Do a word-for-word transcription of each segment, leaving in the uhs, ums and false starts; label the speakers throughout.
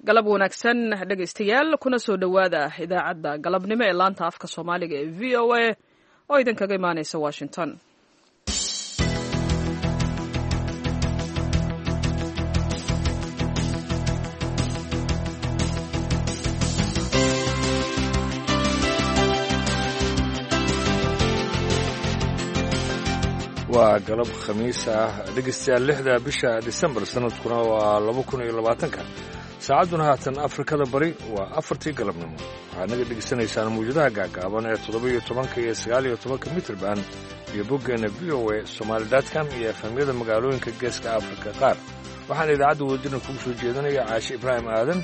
Speaker 1: Galab wanaagsan, dhegaystayaal, kuna soo dhowaada idaacadda galabnimo ee laanta afka Soomaaliga ee V O A oo idinkaga imaanaysa Washington.
Speaker 2: Waa galab Khamiis ah, dhegaystayaal, lixda bisha Disembar, sanadkuna waa laba kun iyo labaatanka. Saacadduna haatan Afrikada Bari waa afartii galabnimo. Waxaad naga dhegaysanaysaan mawjadaha gaagaaban ee toddoba iyo tobanka iyo sagaal iyo tobanka mitrban iyo boggeenna V O A Somali dot com iyo F M-yada magaalooyinka Geeska Afrika qaar. Waxaana idaacadda wadajirna kugu soo jeedinaya Caashe Ibraahim Aadan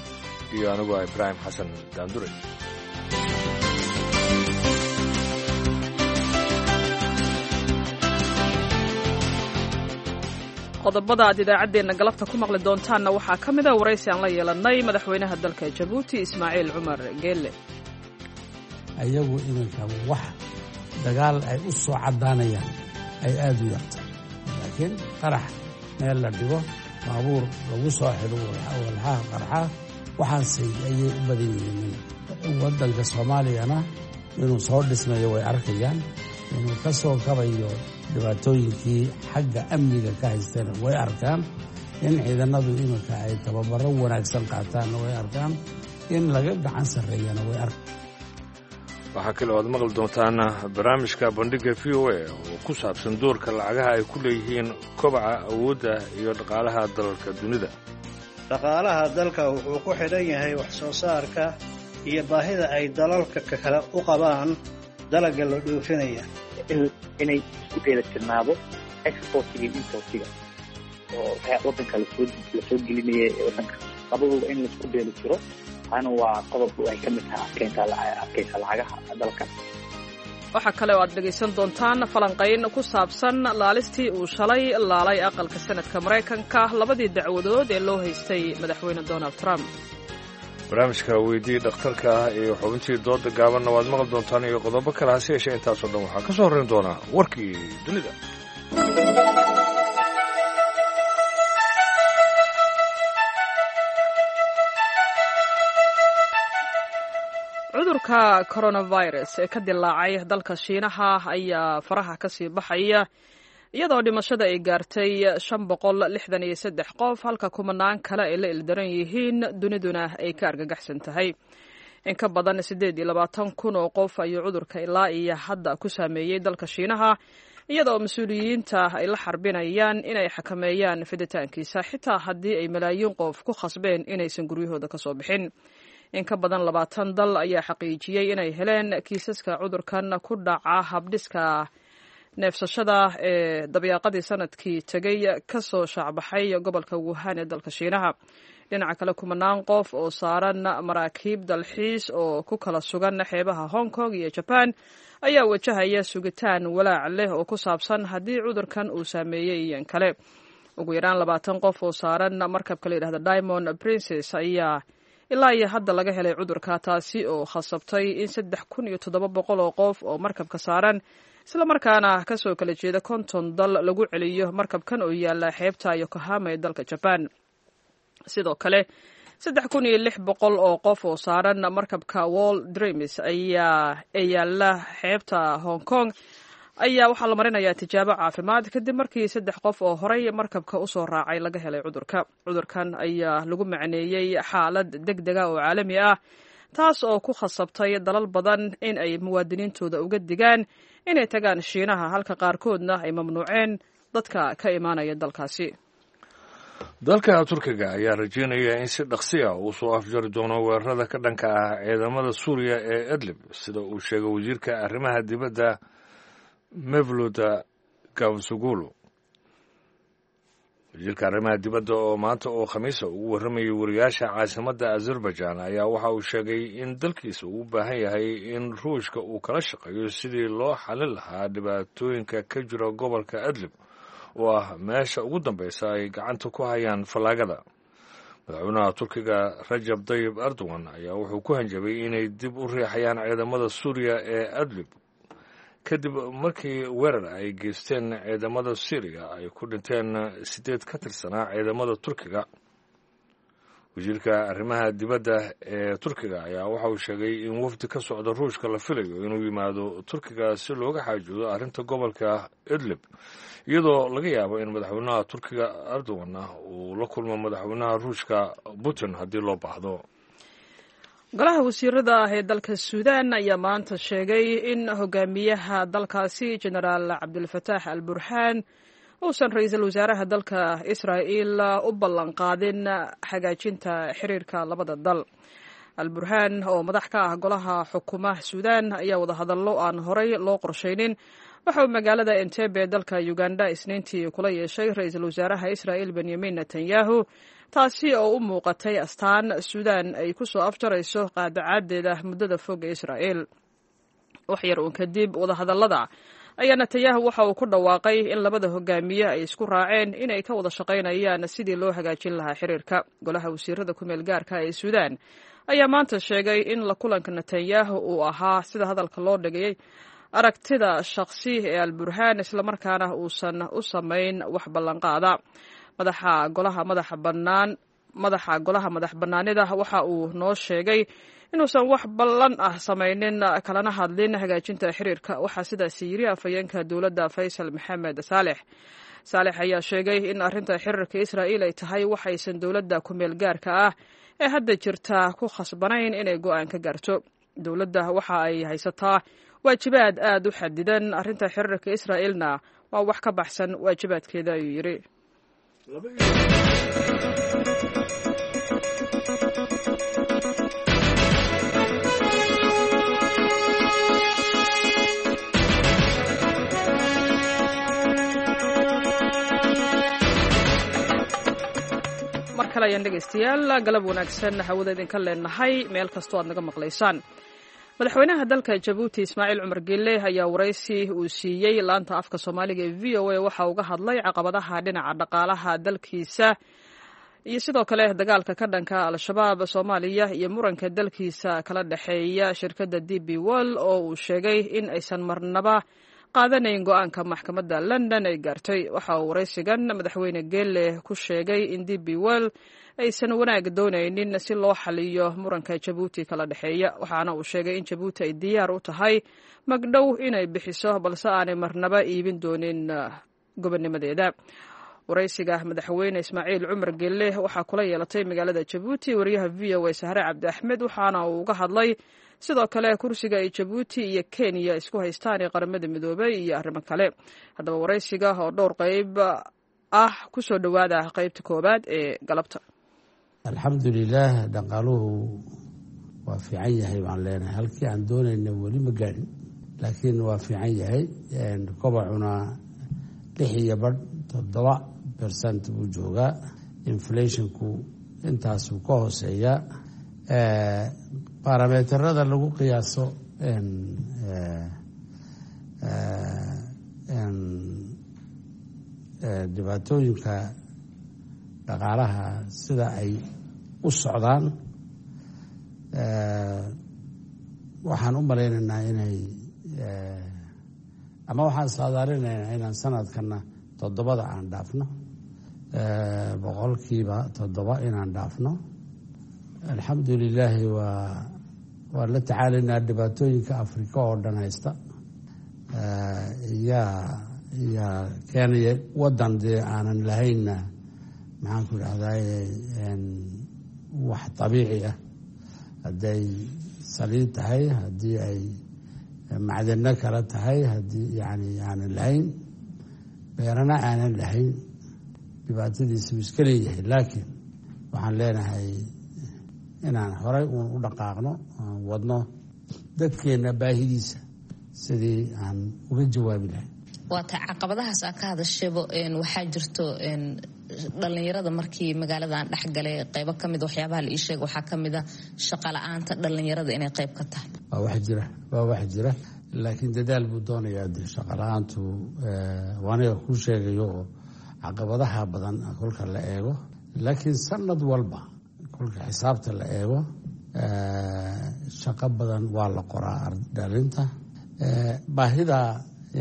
Speaker 2: iyo aniguo Ibraahim Xasan Daandure.
Speaker 1: Qodobada aad idaacaddeenna galabta ku maqli doontaanna waxaa ka mid a waraysi aan la yeelannay madaxweynaha dalka Jabuuti, Ismaaciil Cumar Geelle.
Speaker 3: Ayagu iminka wax dagaal ay u soo caddaanayaan ay aada u yartay, laakiin qarax meel la dhigo, baabuur lagu soo xidho walxaha qarxa, waxaasay ayay u badan yihiin. Waddanka Soomaaliyana inuu soo dhismayo way arkayaan, inuu ka soo kabayo dhibaatooyinkii xagga amniga ka haystana way arkaan, in ciidanadu iminka ay tababaro wanaagsan qaataanna way arkaan, in laga gacan sarreeyana way arkaan.
Speaker 2: Waxaa kale oo aad maqli doontaan barnaamijka Bandhigga V O A oo ku saabsan doorka lacagaha ay ku leeyihiin kobaca awoodda iyo dhaqaalaha dalalka dunida.
Speaker 4: Dhaqaalaha dalka wuxuu ku xidhan yahay wax soo saarka iyo baahida ay dalalka kale u qabaan dalagga la dhoofinaya.
Speaker 5: Inay isku dheelitirnaado exportiga iyo importiga oo wadanka lasoo lasoo gelinaya ee wadanka, labaduba in laisku dheelitiro, taana waa qodob ay ka mid tahay adkeynta adkeysa lacagaha dalka.
Speaker 1: Waxaa kale oo aad dhegaysan doontaan falanqayn ku saabsan laalistii uu shalay laalay aqalka Sanadka Maraykanka labadii dacwadood ee loo haystay madaxweyne Donald Trump.
Speaker 2: Barnaamijka Weydii Dhakhtarka ah iyo xubintii dooda gaabanna waad maqli doontaan iyo qodobo kale, hase yeeshee intaasoo dhan waxaa ka soo horrayn doonaa warkii dunida.
Speaker 1: Cudurka coronavirus ee ka dilaacay dalka Shiinaha ayaa faraha ka sii baxaya, iyadoo dhimashada ay gaartay shan boqol lixdan iyo saddex qof, halka kumanaan kale ay la ildaran yihiin, duniduna ay ka argagaxsan tahay. In ka badan siddeed iyo labaatan kun oo qof ayuu cudurka ilaa iyo hadda ku saameeyey dalka Shiinaha, iyadoo mas-uuliyiinta ay la xarbinayaan inay xakameeyaan fiditaankiisa, xitaa haddii ay malaayiin qof ku khasbeen inaysan guryahooda ka soo bixin. In ka badan labaatan dal ayaa xaqiijiyey inay heleen kiisaska cudurkan ku dhaca habdhiska neefsashada ee dabyaaqadii sanadkii tegey ka soo shaacbaxay gobolka Wuhan ee dalka Shiinaha. Dhinaca kale, kumanaan qof oo saaran maraakiib dalxiis oo ku kala sugan xeebaha Hong Kong iyo Jaban ayaa wajahaya sugitaan walaac leh oo ku saabsan haddii cudurkan uu saameeyey iyan kale. Ugu yaraan labaatan qof oo saaran markabka la yidhahda Diamond Princess ayaa ilaa iyo hadda laga helay cudurka, taasi oo khasabtay in saddex kun iyo toddoba boqol oo qof oo markabka saaran, islamarkaana kasoo kala jeeda konton dal, lagu celiyo markabkan oo yaala xeebta Yokohama ee dalka Jaban. Sidoo kale, saddex kun iyo lix boqol oo qof oo saaran markabka World Dreams ayaa ee yaala xeebta Hong Kong ayaa waxaa la marinayaa tijaabo caafimaad, kadib markii saddex qof oo horay markabka usoo raacay laga helay cudurka. Cudurkan ayaa lagu macneeyey xaalad deg dega oo caalami ah, taas oo ku khasabtay dalal badan in ay muwaadiniintooda uga digaan inay tagaan Shiinaha, halka qaarkoodna ay mamnuuceen dadka ka imaanaya dalkaasi.
Speaker 2: Dalka Turkiga ayaa rajeynaya in si dhaqsi ah uu soo afjari doono weerarada ka dhanka ah ciidamada Suuriya ee Idlib, sida uu sheegay wasiirka arrimaha dibadda Mevlut Cavusoglu. Wasiirka arrimaha dibadda oo maanta oo Khamiisa ugu warramayay wariyaasha caasimadda Azerbaijan ayaa waxa uu sheegay in dalkiisa uu u baahan yahay in Ruushka uu kala shaqeeyo sidii loo xalin lahaa dhibaatooyinka ka jira gobolka Idlib, oo ah meesha ugu dambeysa ay gacanta ku hayaan fallaagada. Madaxweynaha Turkiga Rajab Dayib Erdogan ayaa wuxuu ku hanjabay inay dib u riixayaan ciidamada Suuriya ee Idlib, kadib markii weerar ay geysteen ciidamada Syriya ay ku dhinteen sideed ka tirsanaa ciidamada Turkiga. Wasiirka arrimaha dibadda ee Turkiga ayaa waxa uu sheegay in wafdi ka socda Ruushka la filayo inuu yimaado Turkiga si looga xaajoodo arrinta gobolka Idlib, iyadoo laga yaabo in madaxweynaha Turkiga Erdogan uu la kulmo madaxweynaha Ruushka Putin haddii loo baahdo.
Speaker 1: Golaha wasiirada ah ee dalka Suudaan ayaa maanta sheegay in hogaamiyaha dalkaasi Jenaraal Cabdilfataax al Burhaan uusan ra-iisul wasaaraha dalka Israa'iil u ballanqaadin hagaajinta xiriirka labada dal. Al Burhaan oo madax ka ah golaha xukumaha Suudaan ayaa wadahadallo aan horey loo qorshaynin waxa uu magaalada Entebbe dalka Uganda Isniintii kula yeeshay ra-iisul wasaaraha Israa'iil Benyamin Netanyahu, taasi oo u muuqatay astaan Suudaan ay ku soo afjarayso qaadacaadeeda muddada fog ee Israa'iil. Wax yar uun kadib wadahadallada ayaa Netanyahu waxa uu ku dhawaaqay in labada hogaamiye ay isku raaceen inay ka wada shaqaynayaan sidii loo hagaajin lahaa xiriirka. Golaha wasiirada ku meel gaarka ee Suudaan ayaa maanta sheegay in la kulanka Netanyahu uu ahaa, sida hadalka loo dhigayay, aragtida shakhsi ee Alburhaan, islamarkaana uusan u samayn wax ballanqaada. Madaxa golaha madaxa bannaan madaxa golaha madax bannaanida waxa uu noo sheegay inuusan wax ballan ah samaynin kalana hadlin hagaajinta xiriirka, waxaa sidaasi yiri afhayeenka dowladda Faysal Maxamed Saalex. Saalex ayaa sheegay in arrinta xiriirka Israa'iil ay tahay waxaysan dowladda ku meel gaarka ah ee hadda jirta ku khasbanayn inay go'aan ka gaarto. Dowladda waxa ay haysataa waajibaad aad u xadidan, arrinta xiriirka Israa'iilna waa wax ka baxsan waajibaadkeeda, ayuu yidhi. Mar kale ayaan dhegaystayaal galab wanaagsan hawada idinka leenahay meel kastoo aad naga maqlaysaan. Madaxweynaha dalka Jabuuti Ismaaciil Cumar Gelle ayaa waraysi uu siiyey laanta afka Soomaaliga ee V O A waxa uga hadlay caqabadaha dhinaca dhaqaalaha dalkiisa iyo sidoo kale dagaalka ka dhanka Al-Shabaab, Soomaaliya iyo muranka dalkiisa kala dhexeeya shirkadda D B Wall oo uu sheegay in aysan marnaba qaadanayn go-aanka maxkamadda London ay gaartay. Waxa uu waraysigan madaxweyne Gelle ku sheegay in D B Wall aysan wanaag doonaynin si loo xaliyo muranka Jabuuti kala dhexeeya, waxaana uu sheegay in Jabuuti ay diyaar u tahay magdhow inay bixiso balse aanay marnaba iibin doonin gobonnimadeeda. Waraysiga madaxweyne Ismaaciil Cumar Gelle waxaa kula yeelatay magaalada Jabuuti wariyaha V O A Sahre Cabdi Axmed, waxaana uu uga hadlay sidoo kale kursiga ay Jabuuti iyo Kenya isku haystaan ee Qaramada Midoobay iyo arrimo kale. Haddaba waraysiga oo dhowr qayb ah kusoo dhowaada qaybta koowaad ee galabta.
Speaker 3: Alxamdulilaah, dhaqaaluhu waa fiican yahay baan leenahay. Halkii aan doonayna weli ma gaadhin, laakiin waa fiican yahay. Kobacuna lix iyo badh toddoba percent buu joogaa, inflationku intaasuu ka hooseeyaa. Baarameterada lagu qiyaaso dhibaatooyinka dhaqaalaha sida ay u socdaan, waxaan u malaynaynaa inay ama waxaan saadaalinaynaa inaan sanadkana toddobada aan dhaafno, boqolkiiba toddoba inaan dhaafno. Alxamdulilaahi, waa waan la tacaalaynaa dhibaatooyinka Afrika oo dhan haysta yaa yaa keenaya waddan dee aanan lahaynna, maxaan ku idhahdaye, wax dabiici ah, hadday saliid tahay, haddii ay macdano kale tahay, haddii yani aanan lahayn beerana aanan lahayn, dhibaatadiisa wuu iska leeyahay. Laakiin waxaan leenahay inaan horay uun u dhaqaaqno, aan wadno dadkeenna baahidiisa sidii aan uga jawaabi lahay.
Speaker 6: Waata caqabadahaas aa ka hadashayba, waxaa jirto dhalinyarada markii magaaladan dhexgalay qeybo kamid waxyaabaha la ii sheega waxaa kamid a shaqa la-aanta dhalinyarada inay qeyb ka tahay.
Speaker 3: Waa wax jira, waa wax jira, laakiin dadaal buu doonayaa. De shaqa la-aantu waaniga kuu sheegayo oo caqabadaha badan kolka la eego, laakiin sanad walba kolka xisaabta la eego shaqo badan waa la qoraa dhalinta. Baahida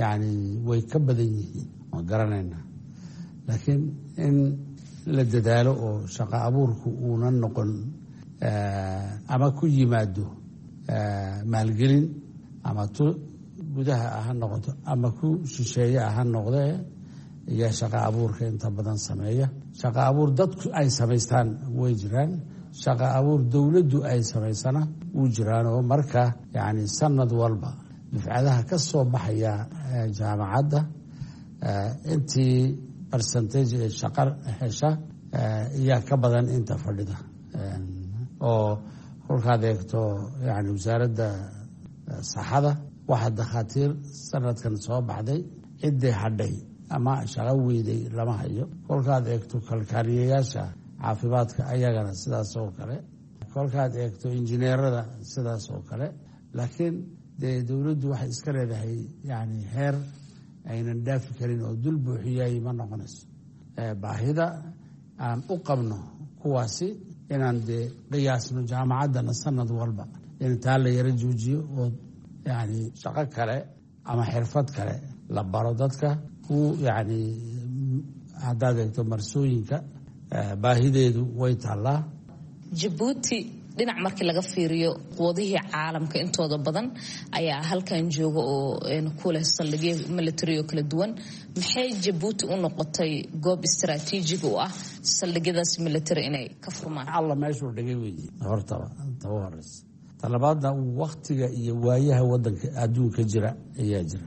Speaker 3: yani way ka badan yihiin waan garanaynaa, laakiin in la dadaalo oo shaqo abuurku uunan noqon ama ku yimaado maalgelin ama tu gudaha ah ha noqoto ama ku shisheeye ah ha noqdee, ayaa shaqo abuurka inta badan sameeya. Shaqo abuur dadku ay samaystaan way jiraan, shaqo abuur dowladdu ay samaysana wuu jiraanoo marka yacni sanad walba dufcadaha ka soo baxaya jaamacadda intii percentage ee shaqo hesha ayaa ka badan inta fadhida. Oo kolkaad eegto yani wasaaradda saxada, waxaa dakhaatiir sanadkan soo baxday ciddii hadhay ama shaqo weyday lama hayo. Kolkaad eegto kalkaaliyayaasha caafimaadka, ayagana sidaas oo kale. Kolkaad eegto injineerada, sidaas oo kale. Laakiin dee dowladdu waxay iska leedahay yani heer aynan dhaafi karin oo dul buuxiyay ma noqonayso baahida aan u qabno kuwaasi inaan dee qiyaasno jaamacaddana sanad walba in taa la yaro joojiyo oo yani shaqo kale ama xirfad kale la baro dadka ku yacni. Haddaad eegto marsooyinka, baahideedu way taallaa.
Speaker 6: Jabuuti dhinac markii laga fiiriyo, quwadihii caalamka intooda badan ayaa halkan jooga oo ku leh saldhigyo military oo kala duwan. Maxay Jabuuti u noqotay goob istaraatiijig u ah saldhigyadaas military inay ka furmaan?
Speaker 3: Alla meeshuu dhigay weeye hortaba taba horeysa. Talabaadna, waktiga iyo waayaha wadanka adduunka jira ayaa jira.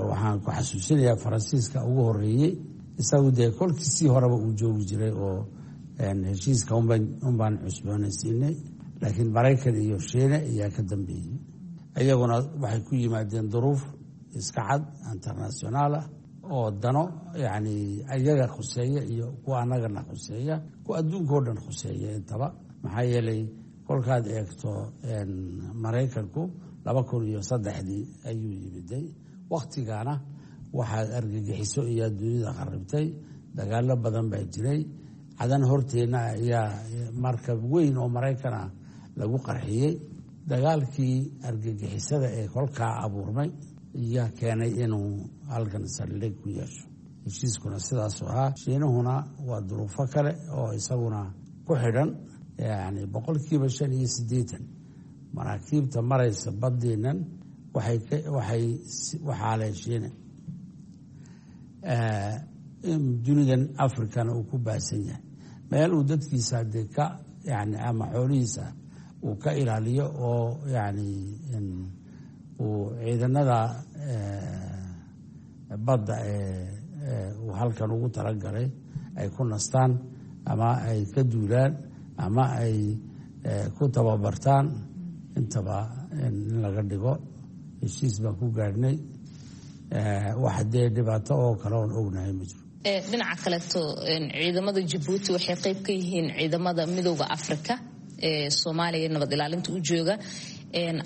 Speaker 3: Waxaan ku xasuusinayaa Faransiiska ugu horeeyey, isagu dee kolkiisii horeba uu joogi jiray oo heshiiska unbaan cusboonaysiinay, laakiin Maraykan iyo Shiine ayaa ka dambeeyey. Iyaguna waxay ku yimaadeen duruuf iska cad internationaal ah oo dano yacni ayaga khuseeya iyo kuwa annagana khuseeya, kuwa adduunka o dhan khuseeya intaba. Maxaa yeelay, kolkaad eegto Maraykanku laba kun iyo saddexdii ayuu yimiday. Wakhtigana waxaad argagixiso iyo adduunyada kharibtay, dagaalo badan baa jiray. Cadan horteenna ayaa markab weyn oo Maraykan ah lagu qarxiyey. Dagaalkii argagixisada ee kolkaa abuurmay ayaa keenay inuu halkan saldhig ku yeesho. Heshiiskuna sidaasuu ahaa. Shiinuhuna waa duruufo kale oo isaguna ku xidhan. Yani boqolkiiba shan iyo siddeetan maraakiibta maraysa baddiinan waxay waxay waxaa Shiine. Dunidan Africana uu ku baahsan yahay meel uu dadkiisa dee ka yani ama xoolihiisa uu ka ilaaliyo oo yani uu ciidanada badda ee uu halkan ugu talagalay ay ku nastaan ama ay ka duulaan ama ay ku tababartaan intaba in laga dhigo. Heshiis baan ku gaadhnay. Wax dee dhibaato oo kale oon ognahay ma jiro.
Speaker 6: Dhinaca kaleeto, ciidamada Jabuuti waxay qeyb ka yihiin ciidamada Midooda Africa ee Soomaaliya nabad ilaalinta u jooga.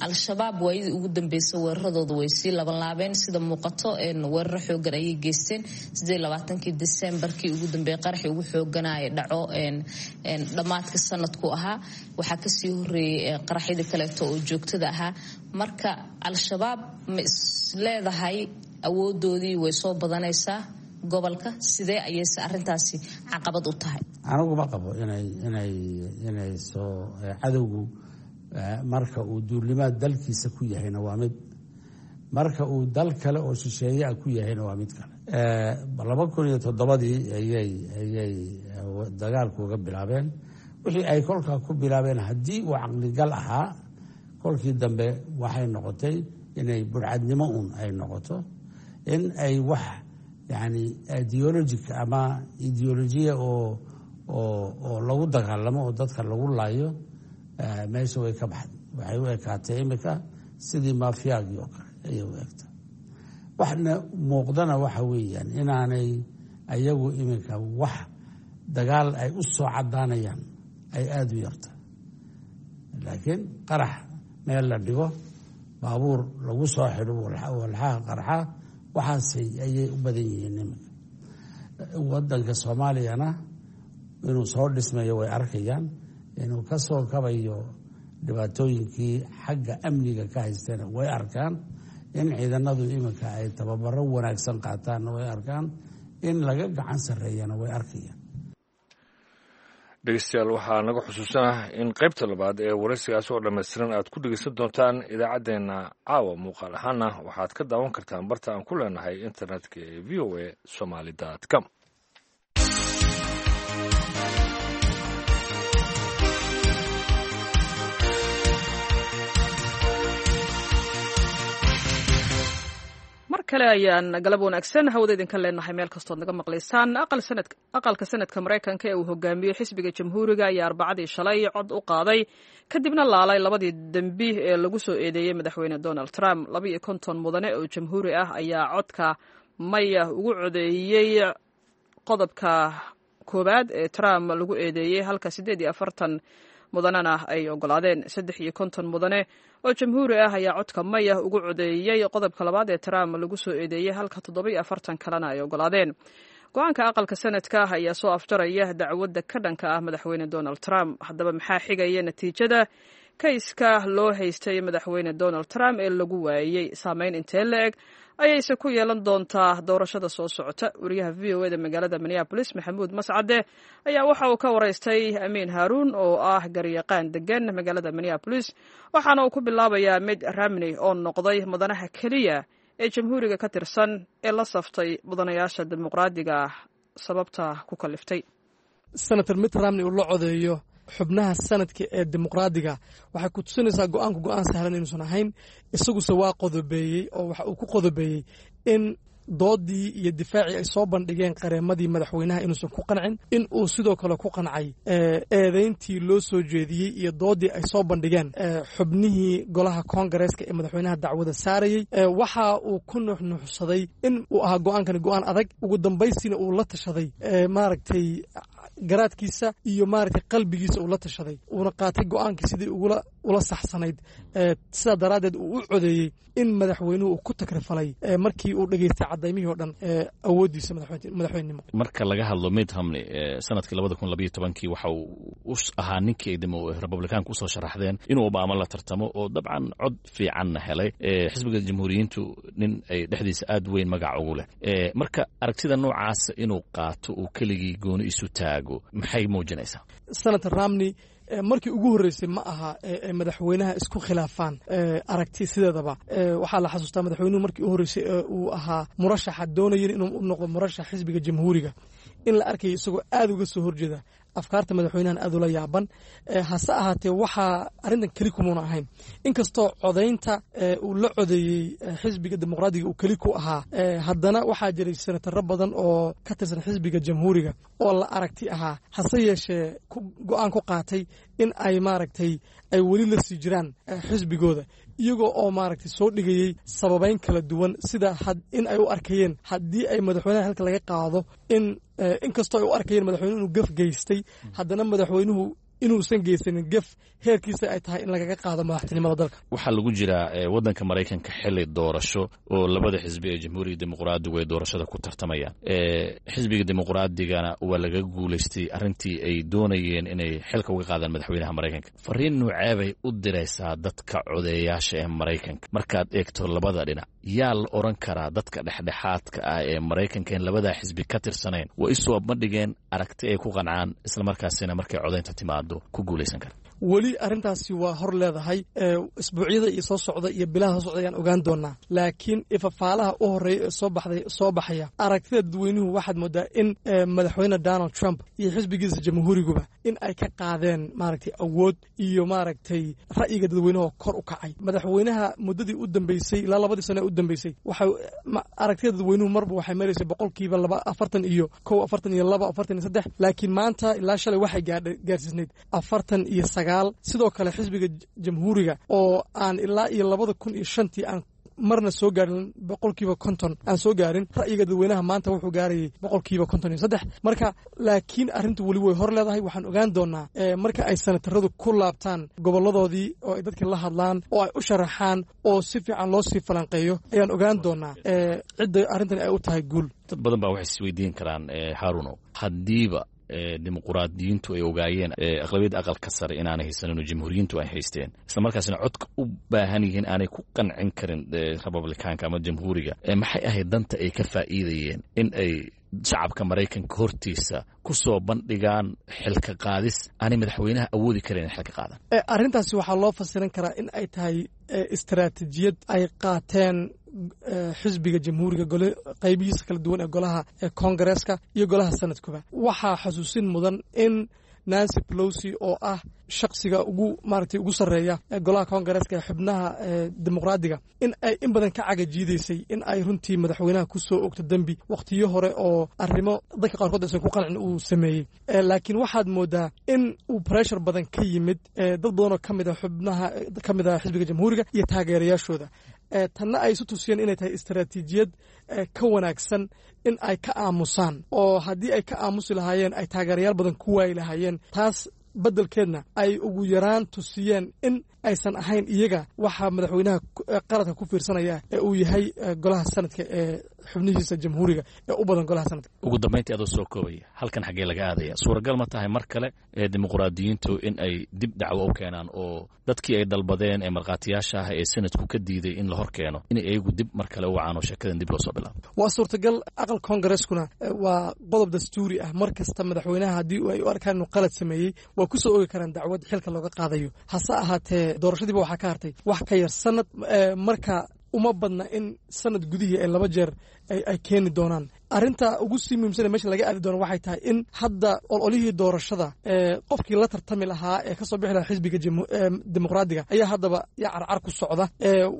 Speaker 6: Al-Shabaab waayadii ugu dambeysay weeraradooda way sii labanlaabeen sida muuqato, weeraro xoogan ayay geysteen. Siddeed labaatankii Decembarkii ugu dambeeyay qaraxii ugu xooganaya dhaco dhammaadka sanadku ahaa. Waxaa kasii horeeyay qaraxyadii kaleeto oo joogtada ahaa. Marka Al-Shabaab ma is leedahay awoodoodii way soo badanaysaa gobolka? Sidee ayayse arrintaasi caqabad u tahay?
Speaker 3: Anigu ma qabo inay inay inay soo cadowgu marka uu duulimaad dalkiisa ku yahayna waa mid, marka uu dal kale oo shisheeye ah ku yahayna waa mid kale. Laba kun iyo toddobadii ayay ayay dagaalku uga bilaabeen. Wixii ay kolkaa ku bilaabeen haddii uu caqligal ahaa, kolkii dambe waxay noqotay inay burcadnimo uun ay noqoto, in ay wax yani ideologic ama ideolojiya oo oo oo lagu dagaalamo oo dadka lagu laayo meesha way ka baxday. Waxay u ekaatay imika sidii maafiyaagii oo kale ayay u egtay. Waxna muuqdana waxa weeyaan inaanay ayagu iminka wax dagaal ay u soo caddaanayaan ay aada u yarta, laakiin qarax meel la dhigo, baabuur lagu soo xidho walxaha qarxa, waxaasay ayay u badan yihiin iminka. Wadanka Soomaaliyana inuu soo dhismayo way arkayaan, inuu ka soo kabayo dhibaatooyinkii xagga amniga ka haysteena way arkaan, in ciidanadu iminka ay tababaro wanaagsan qaataanna way arkaan, in laga gacan sarreeyana way arkayaan.
Speaker 2: Dhegeystayaal, waxaa naga xusuusanah in qaybta labaad ee waraysigaas oo dhammaystiran aad ku dhegeysan doontaan idaacaddeenna caawa. Muuqaal ahaana waxaad ka daawan kartaan barta aan ku leenahay internetka ee v o a somaly dot com.
Speaker 1: Mar kale ayaan galab wanaagsan hawada idinka leenahay meel kastood naga maqlaysaan. Aqalka Sanadka Maraykanka ee uu hogaamiyey xisbiga Jamhuuriga ayaa Arbacadii shalay cod u qaaday, kadibna laalay labadii dembi ee lagu soo eedeeyey Madaxweyne Donald Trump. Laba iyo konton mudane oo Jamhuuri ah ayaa codka maya ugu codeeyey qodobka koowaad ee Trump lagu eedeeyey, halka siddeed iyo afartan mudanena ay ogolaadeen. Saddex iyo konton mudane oo Jamhuuri ah ayaa codka maya ugu codeeyey qodobka labaad ee Trump lagu soo eedeeyey, halka toddoba iyo afartan kalena ay ogolaadeen. Go-aanka Aqalka Sanadka ayaa soo afjaraya dacwadda ka dhanka ah Madaxweyne Donald Trump. Haddaba, maxaa xigaya natiijada kayska loo haystay Madaxweyne Donald Trump ee lagu waayey? Saameyn intee la eg ayayse ku yeelan doontaa doorashada soo socota? Wariyaha V O E da magaalada Minneapolis, Maxamuud Mascade, ayaa waxa uu ka waraystay Amiin Haaruun oo ah garyaqaan degan magaalada Minneapolis, waxaana uu ku bilaabayaa Mitt Romney oo noqday mudanaha keliya ee Jamhuuriga ka tirsan ee la saftay mudanayaasha Dimuqraadiga sababta ku kaliftay.
Speaker 7: Senator Mitt Romney uu la codeeyo xubnaha Sanadka ee Dimuqraadiga waxay ku tusinaysaa go-aanku go-aan sahlan inuusan ahayn. Isaguse waa qodobeeyey, oo waxa uu ku qodobeeyey in doodii iyo difaacii ay soo bandhigeen qareemadii madaxweynaha inuusan ku qancin, in uu sidoo kale ku qancay eedeyntii loo soo jeediyey iyo doodii ay soo bandhigeen xubnihii golaha koongareeska ee madaxweynaha dacwada saarayey. Waxa uu ku nuuxnuuxsaday in uu ahaa go-aankani go-aan adag, ugu dambaysiina uu la tashaday maaragtay garaadkiisa iyo maaragtay qalbigiisa uu la tashaday, uuna qaatay go-aankii sidii ugula ula saxsanayd. Sidaa daraaddeed uu u codeeyey in madaxweynuhu uu ku takrifalay markii uu dhegeystay cadaymihii o dhan awooddiisa madaxweynenimo.
Speaker 8: Marka laga hadlo Mitt Romney, sanadkii labada kun labayo tobankii waxa uu u ahaa ninkii ay Republikaanku usoo sharaxdeen inuu Obama la tartamo, oo dabcan cod fiicanna helay. Xisbiga Jamhuuriyiintu nin ay dhexdiisa aad weyn magac ugu leh. Marka aragtida noocaasa inuu qaato, uu keligii gooni isu taago, maxay muujinaysaa?
Speaker 7: Senator Romney markii ugu horreysay ma aha madaxweynaha isku khilaafaan aragti. Sideedaba waxaa la xasuustaa madaxweynuhu markii u horreysay ee uu ahaa murashaxa doonayen inuu u noqdo murashax xisbiga Jamhuuriga in la arkayo isagoo aad uga soo horjeeda afkaarta madaxweynahan, aad ula yaaban. Hase ahaatee, waxaa arrintan keli kumuuna ahayn, inkastoo codaynta uu la codeeyey xisbiga Dimuqraadiga uu keli ku ahaa, haddana waxaa jiray senataro badan oo ka tirsan xisbiga Jamhuuriga oo la aragti ahaa, hase yeeshee go-aan ku qaatay in ay maaragtay ay weli la sii jiraan xisbigooda, iyagoo oo maaragtay soo dhigayey sababeyn kala duwan, sida in ay u arkayeen haddii ay madaxweynaha xilka laga qaado in inkastoo ay u arkayeen madaxweynuhu inuu gaf geystay, haddana madaxweynuhu inuusan geysanin gef heerkiisa ay tahay in lagaga qaado madaxtinimada dalka.
Speaker 8: Waxaa lagu jiraa waddanka Maraykanka xili doorasho oo labada xisbi ee Jamhuuriga, Dimuqraadigu ay doorashada ku tartamayaan. Xisbiga Dimuqraadigana waa laga guulaystay arrintii ay doonayeen inay xilka uga qaadaan madaxweynaha Maraykanka. Fariin nuuceebay u diraysaa dadka codeeyaasha ee Maraykanka markaad eegto labada dhinac? Yaa la odhan karaa dadka dhexdhexaadka ah ee Maraykanka in labadaa xisbi ka tirsanayn waa isoo bandhigeen aragti ay ku qancaan, islamarkaasina markay codaynta timaado ku guulaysan kara?
Speaker 7: Weli arrintaasi waa hor leedahay. Isbuucyada iyo soo socda iyo bilaha soo socda ayaan ogaan doonaa, laakiin ifafaalaha u horreeya ee soo baxday soo baxaya aragtida dadweynuhu waxaad moodaa in Madaxweyne Donald Trump iyo xisbigiisa Jamhuuriguba in ay ka qaadeen maaragtay awood iyo maaragtay ra'yiga dadweynuhu kor u kacay. Madaxweynaha muddadii u dambeysay, ilaa labadii sano ee u dambeysay, waxay aragtida dadweynuhu marba waxay maraysay boqolkiiba laba afartan iyo kow, afartan iyo laba, afartan iyo saddex, laakiin maanta ilaa shalay waxay gaadha gaarsiisnayd afartan iyo sagaal. Sidoo kale xisbiga Jamhuuriga oo aan ilaa iyo labada kun iyo shantii aan marna soo gaarin boqolkiiba konton aan soo gaarin ra'yiga dadweynaha, maanta wuxuu gaarayay boqolkiiba konton iyo saddex. Marka laakiin arrintu weli way hor leedahay. Waxaan ogaan doonaa marka ay sanataradu ku laabtaan goboladoodii oo ay dadka la hadlaan oo ay u sharaxaan oo si fiican loo sii falanqeeyo ayaan ogaan doonaa cidda arrintan ay u tahay guul.
Speaker 8: Dad badan baa waxay isweydiin karaan, Haaruno, haddiiba Dimuqraadiyiintu ay ogaayeen aqlabiyadda Aqalka Sare inaanay haysanin oo Jamhuuriyiintu ay haysteen, isla markaasina codka u baahan yihiin aanay ku qancin karin Republikaanka ama Jamhuuriga, maxay ahayd danta ay ka faa'iidayeen in ay shacabka Maraykanka hortiisa ku soo bandhigaan xilka qaadis aanay madaxweynaha awoodi karin in xilka qaadan.
Speaker 7: Arrintaasi waxaa loo fasiran karaa in ay tahay istaraatiijiyad ay qaateen xisbiga Jamhuuriga gole qaybihiisa kala duwan ee golaha Koongareeska iyo golaha Sanadkuba. Waxaa xasuusin mudan in Nancy Pelosi, oo ah shaksiga ugu maaragtay ugu sarreeya golaha Koongareeska ee xubnaha Dimuqraadiga, in ay in badan ka cagajiidaysay in ay runtii madaxweynaha ku soo ogto dembi wakhtiyo hore oo arrimo dadka qaarkood aysan ku qancin uu sameeyey. Laakiin waxaad moodaa in uu pressure badan ka yimid dad badan oo ka mid a xubnaha ka mid ah xisbiga Jamhuuriga iyo taageerayaashooda, tanna ay isu tusiyeen inay tahay istaraatiijiyad ka wanaagsan in ay ka aamusaan, oo haddii ay ka aamusi lahaayeen ay taageerayaal badan ku waayi lahaayeen, taas beddelkeedna ay ugu yaraan tusiyeen in aysan ahayn iyaga waxaa madaxweynaha qaladka ku fiirsanaya ee uu yahay golaha Sanadka ee xubnihiisa Jamhuuriga ee u badan golaha Sanadka.
Speaker 8: Ugu dambayntii, adoo soo koobaya, halkan xaggee laga aadaya? Suuragal ma tahay mar kale ee Dimuqraadiyiintu in ay dib dacwo u keenaan oo dadkii ay dalbadeen ee markhaatiyaasha ah ee Sanadku ka diiday in la hor keeno inay iyagu dib mar kale u wacaan oo sheekadan dib loo soo bilaabo?
Speaker 7: Waa suurtagal. Aqal Koongareskuna waa qodob dastuuri ah. Mar kasta madaxweynaha haddii ay u arkaan inuu qalad sameeyey, waa ku soo ogi karaan dacwad xilka looga qaadayo. Hase ahaatee, doorashadiiba waxaa ka hartay wax ka yar sanad, marka uma badna in sanad gudihii ay laba jeer ay keeni doonaan. Arrinta ugu sii muhiimsane meesha laga aadi doono waxay tahay in hadda ololihii doorashada qofkii la tartami lahaa ee kasoo bixi lahaa xisbiga Dimuqraadiga ayaa haddaba yaa carcar ku socda.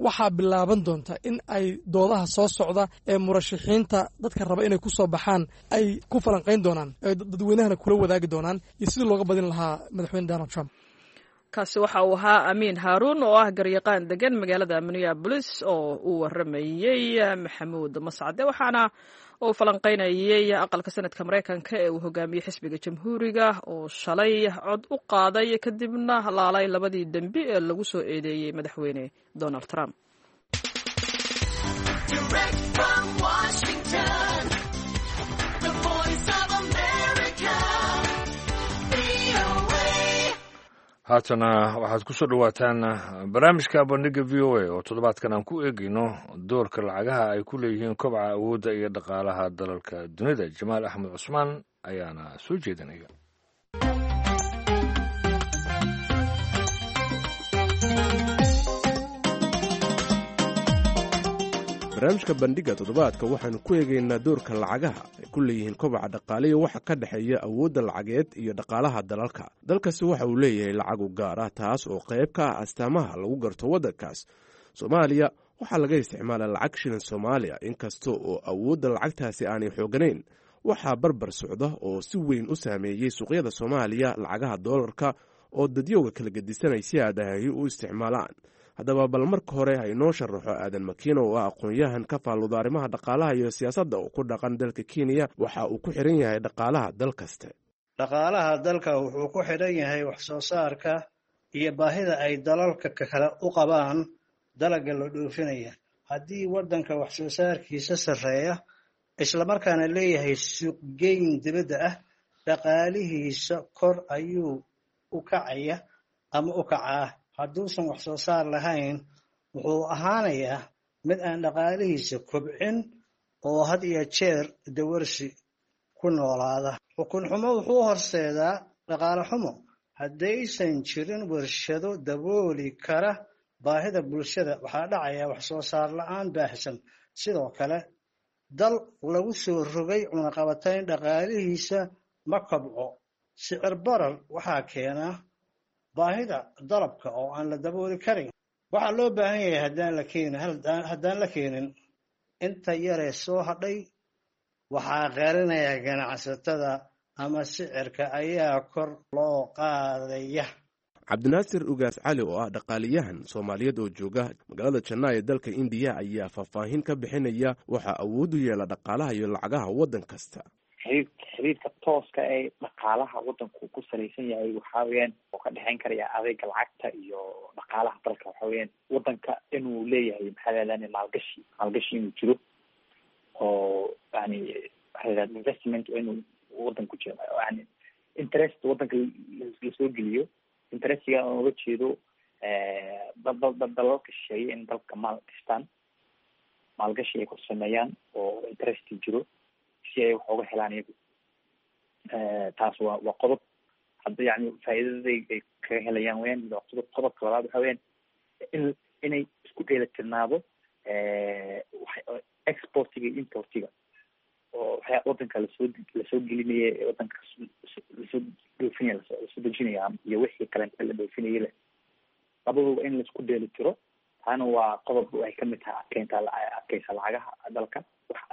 Speaker 7: Waxaa bilaaban doonta in ay doodaha soo socda ee murashaxiinta dadka raba inay ku soo baxaan ay ku falanqayn doonaan, dadweynahana kula wadaagi doonaan iyo sidii looga badin lahaa madaxweyne Donald Trump.
Speaker 1: Kaasi waxa uu ahaa Amiin Haaruun oo ah garyaqaan degan magaalada Minneapolis oo uu waramayey Maxamuud Mascade, waxaana uu falanqaynayey aqalka Sanadka Maraykanka ee uu hogaamiyey xisbiga Jamhuuriga oo shalay cod u qaaday kadibna laalay labadii dembi ee lagu soo eedeeyey madaxweyne Donald Trump.
Speaker 9: Direct from Washington, the Voice of America, V O A.
Speaker 2: Haatana waxaad ku soo dhowaataan barnaamijka Bandhiga V O A oo toddobaadkan aan ku eegayno doorka lacagaha ay ku leeyihiin kobaca awoodda iyo dhaqaalaha dalalka dunida. Jamaal Axmed Cusmaan ayaana soo jeedinaya.
Speaker 10: Barnaamijka Bandhigga toddobaadka waxaannu ku eegaynaa doorka lacagaha ay ku leeyihiin kobaca dhaqaale iyo waxa ka dhexeeya awoodda lacageed iyo dhaqaalaha dalalka. Dalkasi waxa uu leeyahay lacag u gaar ah, taas oo qayb ka ah astaamaha lagu garto waddankaas. Soomaaliya waxaa laga isticmaalaa lacag shilin Soomaaliya. Inkasta oo awoodda lacagtaasi aanay xooganayn, waxaa barbar socda oo si weyn u saameeyey suuqyada Soomaaliya lacagaha doolarka oo dadyowga kala gedisanay si aadahahi u isticmaalaan. Haddaba bal marka hore ha inoo sharaxo Aadan Makiino, oo ah aqoon-yahan ka faalluda arrimaha dhaqaalaha iyo siyaasadda oo ku dhaqan dalka Kenya, waxa uu ku xiran yahay dhaqaalaha dal kaste.
Speaker 4: Dhaqaalaha dalka wuxuu ku xidhan yahay wax soo saarka iyo baahida ay dalalka kale u qabaan dalagga la dhoofinaya. Haddii waddanka wax soo saarkiisa sarreeya, islamarkaana leeyahay suuqgeyn dibadda ah, dhaqaalihiisa kor ayuu u kacaya ama u kacaa. Hadduusan wax soo saar lahayn, wuxuu ahaanayaa mid aan dhaqaalihiisa kobcin oo had iyo jeer dawarsi ku noolaada. Xukun xumo wuxuu horseedaa dhaqaale xumo. Haddaysan jirin warshado dabooli kara baahida bulshada, waxaa dhacaya wax soo saar la'aan baahsan. Sidoo kale, dal lagu soo rogay cunaqabatayn dhaqaalihiisa ma kobco. Sicir barar waxaa keenaa baahida dalabka oo aan la dabooli karin. Waxaa loo baahan yahay haddaan la keenin haddaan la keenin inta yaree soo hadhay waxaa qarinaya ganacsatada ama sicirka ayaa kor loo qaadaya.
Speaker 10: Cabdinaasir Ugaas Cali, oo ah dhaqaaliyahan Soomaaliyeed oo jooga magaalada Jannaa ee dalka Indiya, ayaa faahfaahin ka bixinaya waxaa awood u yeela dhaqaalaha iyo lacagaha waddan kasta.
Speaker 5: Xiriir xiriirka tooska ee dhaqaalaha waddanku ku salaysan yahay waxaa weeyaan oo ka dhexeyn karaya adeega lacagta iyo dhaqaalaha dalka, waxa weeyaan waddanka inuu leeyahay, maxaa la yidhahdaa, maalgashi maalgashi inuu jiro oo yani maxaa la yidhahda, investment inuu waddanku jiro, yani interest waddanka lasoo geliyo. Interestiga aan uga jeedo dad dad dalalka shisheeye in dalka maal gashtaan, maalgashi ay ku sameeyaan oo interesti jiro si Si ay wax oga helaan iyagu. Taas waa waa qodob hadda yani faa'iidada ay kaga helayaan weyaan. Waa qodob. Qodobka labaad waxa weyaan in inay isku dheelitirnaado exportiga iyo importiga, oo waxyaa wadanka lasoo lasoo gelinaya ee wadanka lasoo dhoofinaya, lasoo dejinaya iyo wixii kaleenta la dhoofinaya le, labaduba in laisku dheelitiro. Taana waa qodob ay kamid tahay adkeynta adkeysa lacagaha dalka.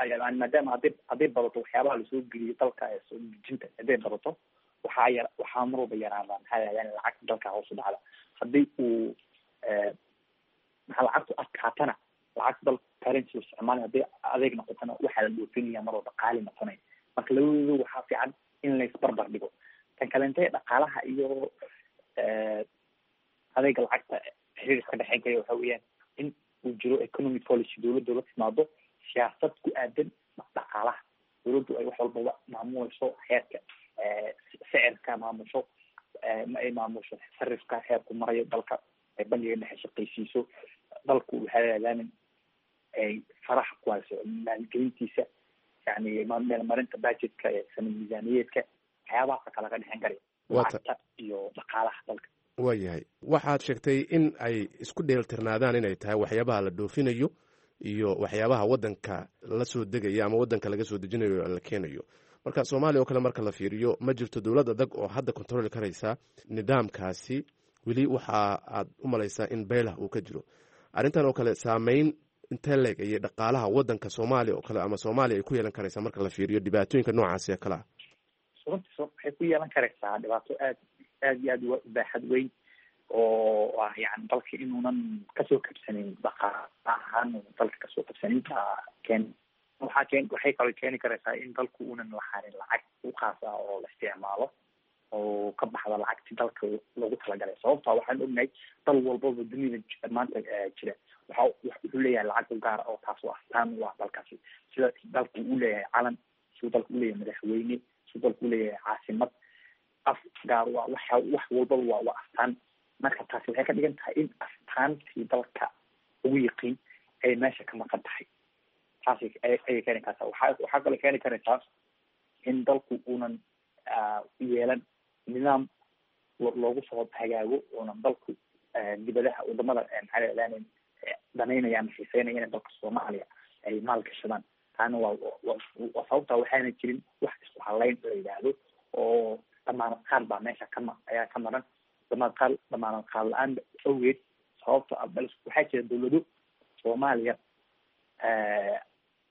Speaker 5: Yani maadaama hadday hadday badato waxyaabaha lasoo geliyo dalka ee soo dejinta, hadday badato waxaa yar waxaa mar walba yaraada, maxaa la yani lacagta dalka hoos u dhacda. Haddii uu maxaa lacagtu adkaatana, lacagta dalka currency isticmaali hadday adeeg noqotona, waxaa la dhoofinaya mar walba qaali noqonaya. Marka labadooda waxaa fiican in laisbarbar dhigo. Tan kalente, dhaqaalaha iyo adeega lacagta xiriir iska dhexeyn kaya waxa weeyaan in uu jiro economic policy, dowladda la timaado siyaasad ku aadan dhaqaalaha, dowladdu ay wax walbaba maamuleyso, heerka sicirka maamusho, ma ay maamusho sarifka heerku marayo dalka, ay bangiga dhexe shaqaysiiso, dalku waxaa laadaamin ay faraha ku hayso maalgelintiisa, yani meelmarinta budgetka ee sanad miisaaniyeedka, waxyaabahaasa kala ka dhexeyn karaya lacagta iyo dhaqaalaha dalka.
Speaker 10: Waayahay, waxaad sheegtay in ay isku dheeltirnaadaan inay tahay waxyaabaha la dhoofinayo iyo waxyaabaha waddanka la soo degaya ama waddanka laga soo dejinayo la keenayo. Marka Soomaaliya oo kale marka la fiiriyo, ma jirto dowlad adag oo hadda controli karaysa nidaamkaasi. Weli waxa aad u malaysaa in beylah uu ka jiro arrintan oo kale. Saameyn intee leeg ayay dhaqaalaha waddanka Soomaaliya oo kale ama Soomaaliya ay ku yeelan karaysaa marka la fiiriyo dhibaatooyinka noocaasi oo kale ah?
Speaker 5: Runtii waxay ku yeelan karaysaa dhibaato aad aad iyo aad u baaxad weyn, oo ah yani dalka inuunan kasoo kabsanin dhaqaala ahaan, dalka kasoo kabsanin. Baa keen waxaa keen waxay kaloo keeni karaysaa in dalku uunan lahaanin lacag u khaas ah oo la isticmaalo oo ka baxda lacagti dalka loogu talagalay. Sababta waxaan ognahay dal walbaba dunida maanta jira waxa wuxuu leeyahay lacag u gaara oo taas oo astaan u ah dalkaasi, sida dalku uu leeyahay calan, siduu dalku uleeyahay madaxweyne, siduu dalku uleeyahay caasimad, af gaar u ah, waxa wax walbaba waa waa astaan. Marka taasi waxay ka dhigan tahay in astaantii dalka ugu yiqiin ay meesha ka maqan tahay. Taasi ayay keeni kartaa. Waxaa waxaa kaloo keeni karaysaa in dalku uunan yeelan nidaam loogu soo hagaago, uunan dalku dibadaha wadamada maxaa la danaynaya ama xiiseynaya inay dalka Soomaaliya ay maal gashadaan. Taana waa waa sababta waxaana jirin wax isku halayn la yidhaahdo oo damaanad qaad baa meesha kama ayaa ka maran. Damaanad qaad damaanad qaad la-aan awgeed, sababta waxaa jira dowlado Soomaaliya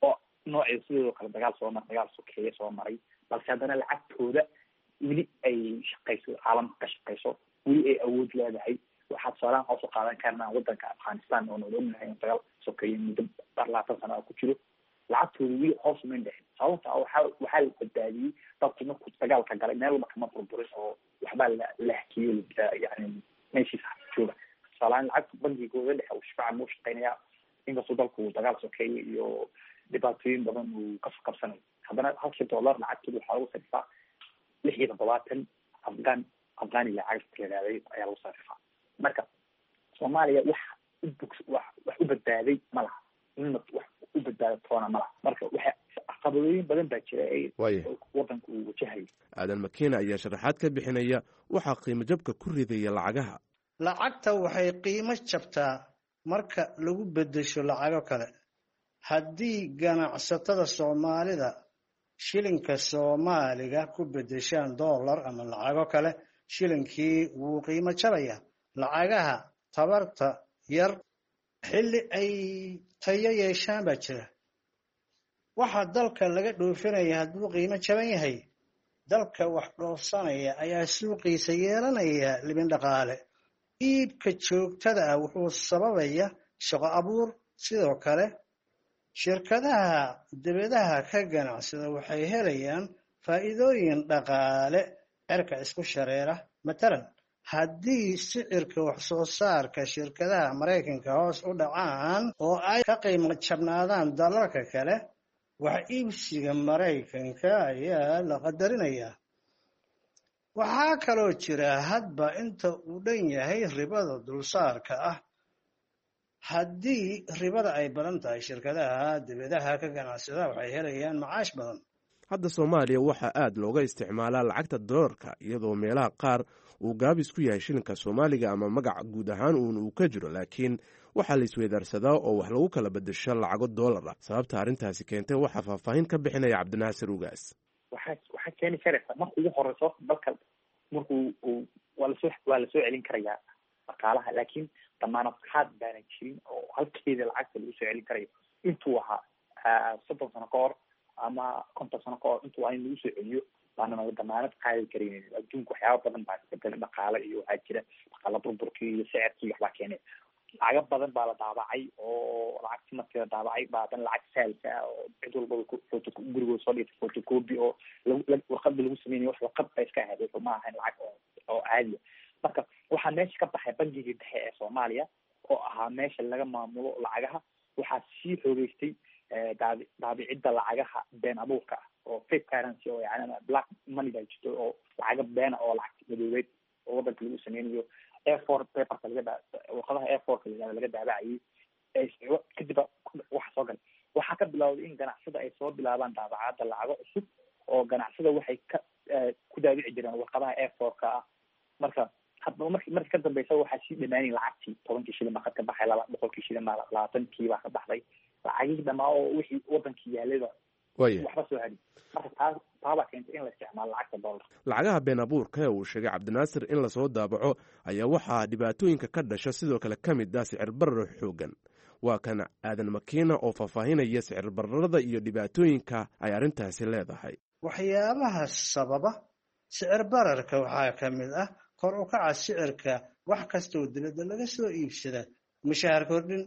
Speaker 5: oo noocii sidoo kale dagaal soo mar dagaal sokeeye soo maray, balse haddana lacagtooda weli ay shaqeyso, caalamka ka shaqeyso, weli ay awood leedahay. Waxaa tusaalahan waxaa usoo qaadan karnaa wadanka Afghanistan oo nood ognahay in dagaal sokeeye muddo labaatan sano ku jiro, lacagtooda weli hoos umayn dhexin. Sababta waxaa waxaa la badbaadiyey dalku markuu dagaalka galay meel walba kama burburin oo waxbaa la la hakiyey, yani meeshiisa jooga. Tusaalahaan lacagta bangigooda dhexe uu shifaacan uu shaqeynayaa, inkastoo dalku dagaal sokeeye iyo dhibaatooyin badan uu kasoo qabsanayo, haddana halkii dollar lacagtooda waxaa lagu sarifaa lix iyo toddobaatan afghan afghani lacagta la yidhahday ayaa lagu sarifaa. Marka Soomaaliya wax u bog wax wax u badbaaday ma laha, nina wax u badbaada toona ma laha. Marka waxa caqabadooyin badan baa jira ee wadanka uu wajahayo.
Speaker 10: Aadan Makiina ayaa sharaxaad ka bixinaya waxaa qiimo jabka ku ridaya lacagaha.
Speaker 4: Lacagta waxay qiimo jabtaa marka lagu beddesho lacago kale. Haddii ganacsatada Soomaalida shilinka Soomaaliga ku beddeshaan dollar ama lacago kale, shilinkii wuu qiimo jabayaa. Lacagaha tabarta yar xilli ay tayo yeeshaan baa jira. Waxaa dalka laga dhoofinaya hadduu qiimo jaban yahay, dalka wax dhoofsanaya ayaa suuqiisa yeelanaya libin dhaqaale. Iibka joogtada ah wuxuu sababaya shaqo abuur. Sidoo kale shirkadaha dibadaha ka ganacsada waxay helayaan faa'iidooyin dhaqaale cirka isku shareera. Matalan, haddii sicirka wax soo saarka shirkadaha Maraykanka hoos u dhacaan oo ay ka qiimo jabnaadaan dalalka kale, wax iibsiga Maraykanka ayaa la qadarinayaa. Waxaa kaloo jira hadba inta uu dhan yahay ribada dulsaarka ah. Haddii ribada ay badan tahay, shirkadaha dibadaha ka ganacsada waxay helayaan macaash badan.
Speaker 10: Hadda Soomaaliya waxaa aad looga isticmaalaa lacagta doolarka, iyadoo meelaha qaar uu gaabis ku yahay shilinka Soomaaliga ama magac guud ahaan uun uu ka jiro, laakiin waxaa la isweydaarsadaa oo wax lagu kala bedesho lacago doolar ah. Sababta arrintaasi keentay waxaa faahfaahin ka bixinaya Cabdinaasir Ugaas.
Speaker 5: Waxaa waxaa keeni karaysa marka ugu horeyso dalka markuu uu waa lasoo waa lasoo celin karayaa dhaqaalaha, laakiin damaanad qaad baana jirin oo halkeeda lacagta lagu soo celin karayo intuu ahaa soddon sano ka hor ama konton sano ka hor intuu ahaa in lagu soo celiyo baana naga damaanad qaadi karaynin. Adduunka waxyaaba badan baa isbedela, dhaqaale iyo waxaa jira dhaqaala burburkii iyo sicirkii waxbaa keenay. Lacago badan baa la daabacay oo lacagti markii la daabacay baa haddana lacag saalka ah oo cid walbaba photo gurigooda soo dhigtay photocopy oo lagu warqada lagu sameynay, wax warqad ba iska ahayd, wuxuu ma ahayn lacag oo oo caadiya. Marka waxaa meesha ka baxay bangigii dhexe ee Soomaaliya oo ahaa meesha laga maamulo lacagaha. Waxaa sii xoogeystay daabi daabicidda lacagaha been abuurka ah oo fake currency oo yani black money baa jirto oo lacaga beena oo lacag madoobeed oo wadanka lagu sameynayo A four paperka laga daa warqadaha A four ka la yihahdo laga daabacayay. Kadib waxa soo galay, waxaa ka bilowday in ganacsada ay soo bilaabaan daabacaadda lacago cusub oo ganacsada waxay ka ku daabici jireen warqadaha A four ka ah. Marka hadaba marki marki ka dambeysa waxaa sii dhamaanay lacagtii tobankii shilin baa ka baxay, laba boqolkii shilin baa labaatankii baa ka baxday, lacagihii dhamaa oo wixii wadankii yaalayba waxba soo hadhin. Marka taa taabaa keentay in la isticmaalo lacagta doolarka.
Speaker 10: Lacagaha been abuurka ee uu sheegay Cabdinaasir in lasoo daabaco ayaa waxaa dhibaatooyinka ka dhasha sidoo kale ka mid ah sicir barar xoogan. Waa kan Aadan Makiina oo faahfaahinaya sicir bararada iyo dhibaatooyinka ay arrintaasi leedahay.
Speaker 4: Waxyaabaha sababa sicir bararka waxaa ka mid ah kor u kaca sicirka wax kasta oo dibadda laga soo iibsada, mushaahar kordhin,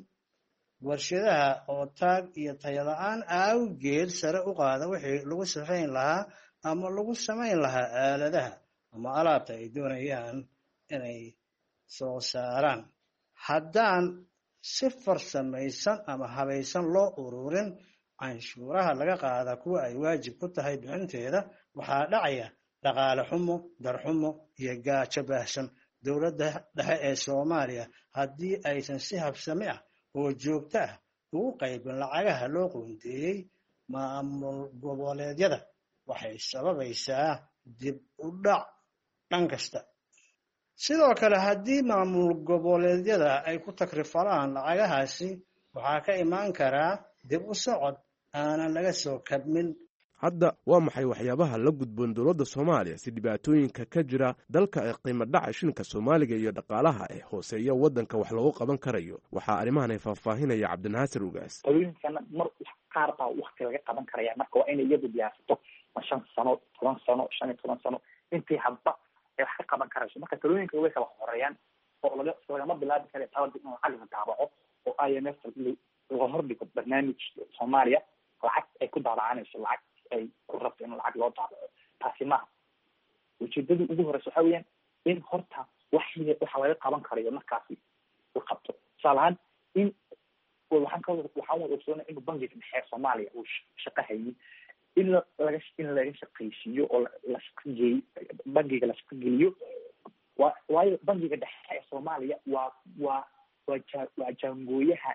Speaker 4: warshadaha oo taag iyo tayo la-aan awgeed sare u qaada wixii lagu safayn lahaa ama lagu samayn lahaa aaladaha ama alaabta ay doonayaan inay soo saaraan. Haddaan si farsamaysan ama habaysan loo ururin canshuuraha laga qaada kuwa ay waajib ku tahay bixinteeda, waxaa dhacaya dhaqaale xumo, darxumo iyo gaajo baahsan. Dowladda dhexe ee Soomaaliya haddii aysan si habsami ah oo joogto ah ugu qaybin lacagaha loo qoondeeyey maamul goboleedyada, waxay sababaysaa dib u dhac dhan kasta. Sidoo kale haddii maamul goboleedyada ay ku takrifalaan lacagahaasi, waxaa ka imaan karaa dib u socod aanan laga soo kabmin.
Speaker 10: Hadda waa maxay waxyaabaha la gudboon dowladda Soomaaliya si dhibaatooyinka ka jira dalka ee qiimo dhaca shilinka Soomaaliga iyo dhaqaalaha ee hooseeya waddanka wax loogu qaban karayo? Waxaa arrimahan ay faahfaahinaya Cabdinaasir Ugaas.
Speaker 5: Talooyinkana mar qaar baa wakti laga qaban karaya. Marka waa inay iyadu diyaarsato ma shan sano, toban sano, shan iyo toban sano intii hadba ay wax ka qaban karayso. Marka talooyinka way kala horeeyaan oo laga lagama bilaabi karayo talada in lacag la daabaco oo I M F laga hordhigo barnaamij Soomaaliya lacag ay ku daabacanayso, lacag ay ku rabto in lacag loo daabaco. Taasi maaha ujeedada ugu horeysa. Waxa weeyaan in horta wax waxa laga qaban karayo markaasi la qabto. Tusaale ahaan in waxaan ka waxaan wada ogsoonay inuu bangiga dhexe Soomaaliya uu shaqo haynin, in laga in laga shaqaysiiyo oo la shaqageey bangiga la shaqageliyo. Wa waayo bangiga dhexe ee Soomaaliya waa waa waa ja waa jaangooyaha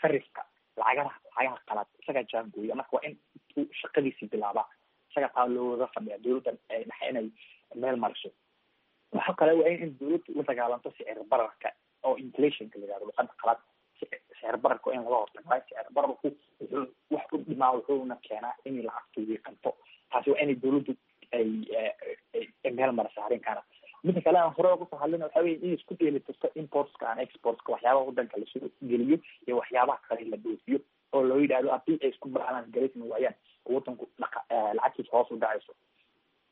Speaker 5: sarifka lacagaha lacagaha qalaad, isagaa jaangooya. Marka waa in uu shaqadiisii bilaabaa, isagaa taa looga fadhiya dowladda dhexe inay meel mariso. Waxa kale waa in dowladdu la dagaalanto sicir bararka oo inflationka la yihahdo luqada qalaad. Sicir bararka waa in laga hortago, waayo sicir bararku wuxuu wax u dhimaa wuxuuna keenaa inay lacagtu wiiqanto. Taasi waa inay dowladdu ay ay meel mariso arrinkaana. Midda kale aan hore uga soo hadlina waxa weye in isku dheelitirto importska and exportska, waxyaabaha wadanka lasoo geliyo iyo waxyaabaha kale la dhoofiyo, oo loo yidhahdo haddii ay isku balance garaysmi waayaan oo wadanku dhaqa lacagtiisa hoos u dhacayso.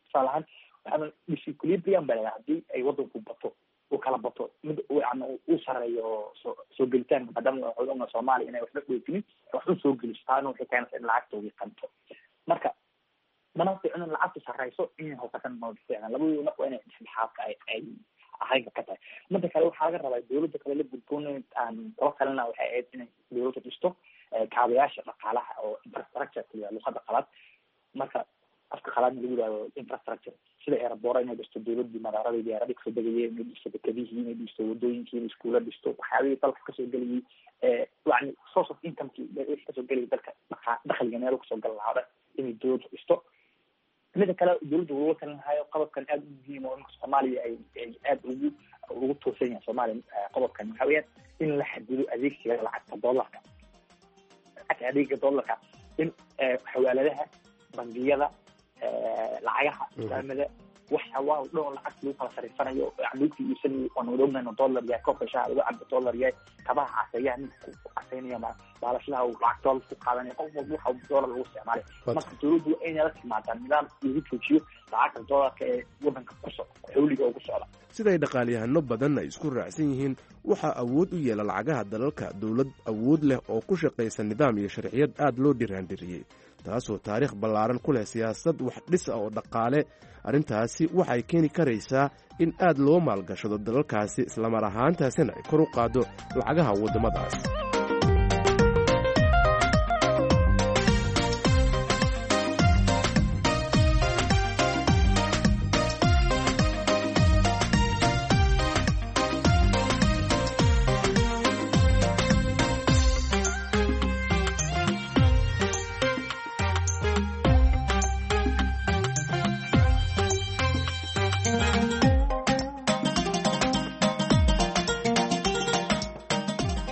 Speaker 5: Tusaale ahaan waxaa disequilibrium baa la yidhaha, haddii ay wadanku bato uu kala bato mid yani uu sareeyo soo soo gelitaanka, maadaama waxaan ognahay Soomaaliya inay waxba dhoofinin wax u soo geliso, taana waxay keenaysaa in lacagta wiiqanto. Marka mana fiicno in lacagtu sareyso, inay hoosatan ma fiicna, labadooda marka waa inay dhexdhexaadka ay ay ahaynka ka tahay. Midda kale waxaa laga rabaa dowladda kale la gudboon aan kula talina waxay ahayd inay dowladda dhisto kaabayaasha dhaqaalaha oo infrastructure la luqada qalaad, marka afka qalaadna lagu yihahdo infrastructure, sida airport inay dhisto dowladii, madaaradii diyaaradii kasoo degayeen inay dhisto, dekadihii inay dhisto, wadooyinkii inay iskuula dhisto, waxyaabihii dalka kasoo gelayay, yani source of incomekii wixii kasoo gelayay dalka dhaqa dakhliga meel kasoo gal lahaa Inay dowladdu dhisto. Mida kale dowladda looga talin lahayo qodobkan aada u muhiim oo imanka Soomaaliya ay ay aada ugu ugu toosan yahay Soomaaliya, qodobkan waxa weeyaan in la xadido adeegsiga lacagta dollarka, lacagta adeega dollarka, in xawaaladaha, bangiyada, lacagaha islaamada, waxa waa dhan oo lacagta lagu kala sarifanayo, lagu kala iibsanayo, waan wada ognahay inuu dollar yahay, koobka shaaha lagu cabo dollar yahay, kabaha caseeyaha ninka ku caseynaya, baalashlaha uu lacag dollar ku qaadanaya, qof walba waxa dollar lagu isticmaalay. Marka dowladdu waa inay la timaadaa nidaam lagu joojiyo lacagta dollarka ee wadanka ku so xawliga ugu socda.
Speaker 10: Siday dhaqaalyahano badan ay isku raacsan yihiin, waxaa awood u yeela lacagaha dalalka dowlad awood leh oo ku shaqaysa nidaam iyo sharciyad aad loo dhiraandhiriyey, taasoo taariikh ballaaran ku leh siyaasad wax dhis ah oo dhaqaale. Arrintaasi waxay keeni karaysaa in aad loo maalgashado dalalkaasi, islamar ahaantaasina ay kor u qaaddo lacagaha waddamadaas.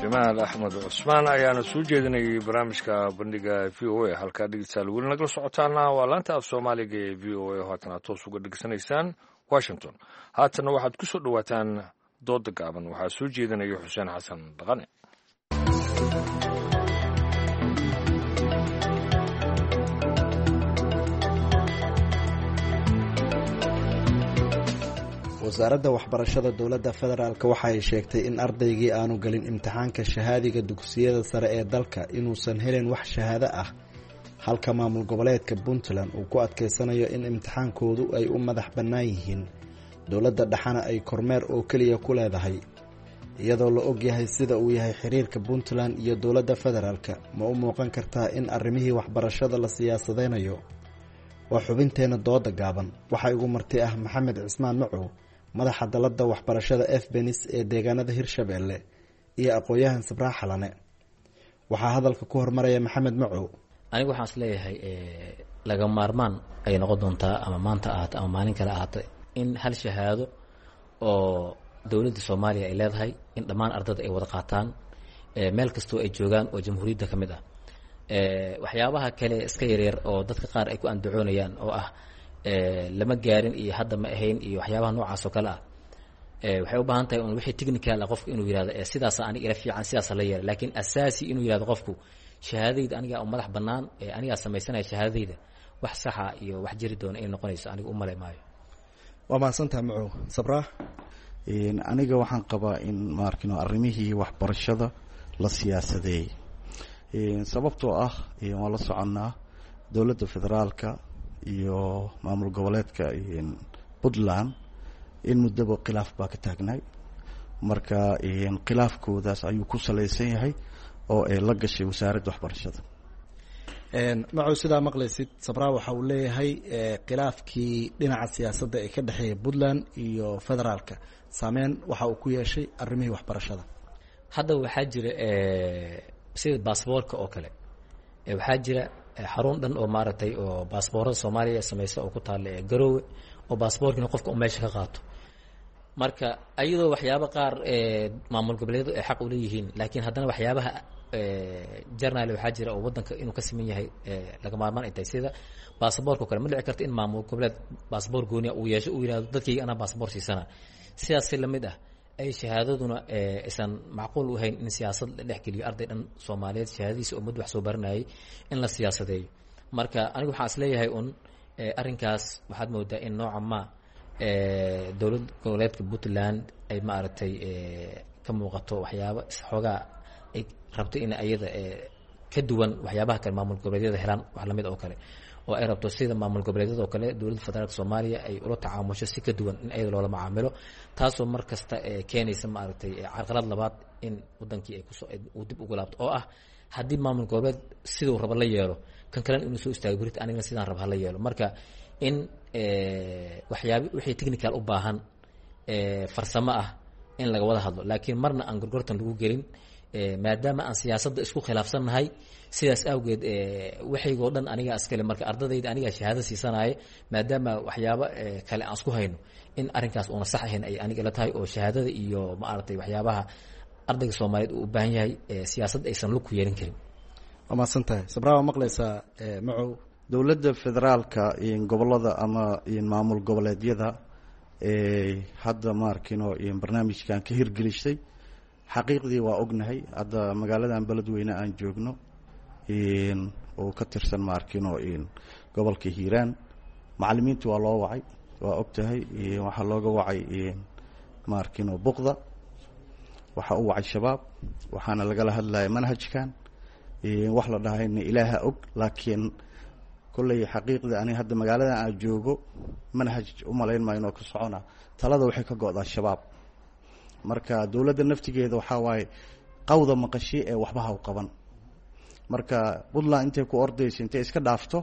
Speaker 2: Jamaal Axmed Cusmaan ayaana soo jeedinayay barnaamijka bandhiga V O A. Halkaa dhegeystayaal weli nagala socotaana waa laanta af Soomaaliga ee V O A, haatana toos uga dhegeysanaysaan Washington. Haatanna waxaad ku soo dhowaataan dooda gaaban, waxaa soo jeedinaya Xuseen Xasan Dhaqane.
Speaker 11: Wasaaradda waxbarashada dowladda federaalk waxa ay sheegtay in ardaygii aanu gelin imtixaanka shahaadiga dugsiyada sare ee dalka inuusan helin wax shahaado ah, halka maamul goboleedka Puntland uu ku adkeysanayo in imtixaankoodu ay u madax bannaan yihiin, dowladda dhexana ay kormeer oo keliya ku leedahay. Iyadoo la ogyahay sida uu yahay xiriirka Puntland iyo dowladda federaalk, ma u muuqan kartaa in arrimihii waxbarashada la siyaasadeynayo? Waa xubinteenna dooda gaaban. Waxaa igu marti ah Maxamed Cismaan Macow, madaxa dalada waxbarashada Efbenis ee deegaanada Hirshabeelle, iyo aqoon-yahan Sabraax Xalane. Waxaa hadalka ku hormaraya Maxamed Macow.
Speaker 12: Anigu waxaan is leeyahay laga maarmaan ay noqon doontaa, ama maanta ahaato ama maalin kale ahaato, in hal shahaado oo dowladda Soomaaliya ay leedahay in dhammaan ardada ay wada qaataan meel kastoo ay joogaan oo jamhuuriyadda ka mid ah. Waxyaabaha kale iska yaryar oo dadka qaar ay ku andacoonayaan oo ah lama gaarin iyo hadda ma ahayn iyo waxyaabaha noocaas oo kale ah, waxay u baahan tahay un wixii technical ah qofku inuu yihahdo sidaasa aniga ila fiican, sidaasa la yeela, laakiin asaasi inuu yihahdo qofku shahaadadayda anigaa u madax bannaan, anigaa samaysanaya shahaadadayda, wax saxa iyo wax jiri doona inay noqonayso aniga u malay maayo.
Speaker 11: Waa mahadsantaha Macow. Sabraax.
Speaker 13: Aniga waxaan qabaa in maarkino arrimihii waxbarashada la siyaasadeeyey, sababtoo ah waan la soconnaa dowladda federaalka iyo maamul goboleedka Puntland in muddaba khilaaf baa ka taagnay. Marka khilaafkoodaas ayuu ku salaysan yahay oo ay la gashay wasaaradda waxbarashada.
Speaker 11: Macow, sidaa maqlaysid, Sabraa waxa uu leeyahay khilaafkii dhinaca siyaasadda ee ka dhexeeya Puntland iyo federaalka saameyn waxa uu ku yeeshay arrimihii waxbarashada.
Speaker 12: Hadda waxaa jira sida baasboorka oo kale, waxaa jira xarun dhan oo maaragtay oo baasboorada Soomaaliya sameysa oo ku taalla ee Garoowe, oo baasboorkiina qofka uu meesha ka qaato. Marka ayadoo waxyaabo qaar maamul goboleedyadu ay xaq u leeyihiin, laakiin haddana waxyaabaha jarnaal waxaa jira oo waddanka inuu ka siman yahay laga maarmaan ay tahay, sida baasaboorka o kale. Ma dhici karto in maamul goboleed baasaboor gooniya uu yeesho, uu yihahdo dadkayga anaa baasaboor siisana. Sidaas si lamid ah ay shahaadaduna aysan macquul u ahayn in siyaasad la dhex geliyo arday dhan Soomaaliyeed shahaadadiisa oo mud wax soo baranayay in la siyaasadeeyo. Marka anigu waxaan is leeyahay un arrinkaas waxaad moodaa in nooca ma dowlad goboleedka Puntland ay maaragtay ka muuqato waxyaabo xoogaa ay rabto in ayada ka duwan waxyaabaha kale maamul goboleedyada helaan wax lamid oo kale, oo ay rabto sida maamul goboleedyada oo kale dowladda federaalka Soomaaliya ay ula tacaamusho si ka duwan in ayada loola macaamilo, taasoo mar kasta keenaysa maaragtay carqalad labaad in wadankii ay kusoo uu dib ugu laabto, oo ah haddii maamul goboleed siduu raba la yeelo, kan kalena inuu soo istaago berita anigana sidaan raba hala yeelo. Marka in waxyaab wixii technical u baahan farsamo ah in laga wada hadlo, laakiin marna aan gorgortan lagu gelin Maadaama aan siyaasadda isku khilaafsannahay, sidaas awgeed waxaygoo dhan anigaa iskale, marka ardadayda anigaa shahaado siisanaya, maadaama waxyaabo kale aan isku hayno, in arrinkaas uuna sax ahayn ay aniga la tahay, oo shahaadada iyo maaragtay waxyaabaha ardayga Soomaaliyeed uu u baahan yahay siyaasad aysan lug ku yeelin karin.
Speaker 11: Waa mahadsan tahay Sabraa. Waa maqlaysaa Macow.
Speaker 13: Dowladda federaalka, gobolada ama maamul goboleedyada hadda maarkino barnaamijkan ka hirgelisay, xaqiiqdii waa ognahay. Hadda magaaladan Beledweyne aan joogno oo ka tirsan maarkino gobolka Hiiraan, macalimiinta waa loo wacay, waa og tahay. Waxaa looga wacay maarkino buqda, waxaa u wacay Shabaab, waxaana lagala hadlaya manhajkan. Wax la dhahayna Ilaaha og, laakiin kolley xaqiiqda ani hadda magaaladan aan joogo manhaj umalayn maayo inoo ka socona. Talada waxay ka go'daa Shabaab. Marka dowladda naftigeeda waxaa waaye qawda maqashi ee waxba ha u qaban. Marka Puntland intay ku ordayso, intay iska dhaafto,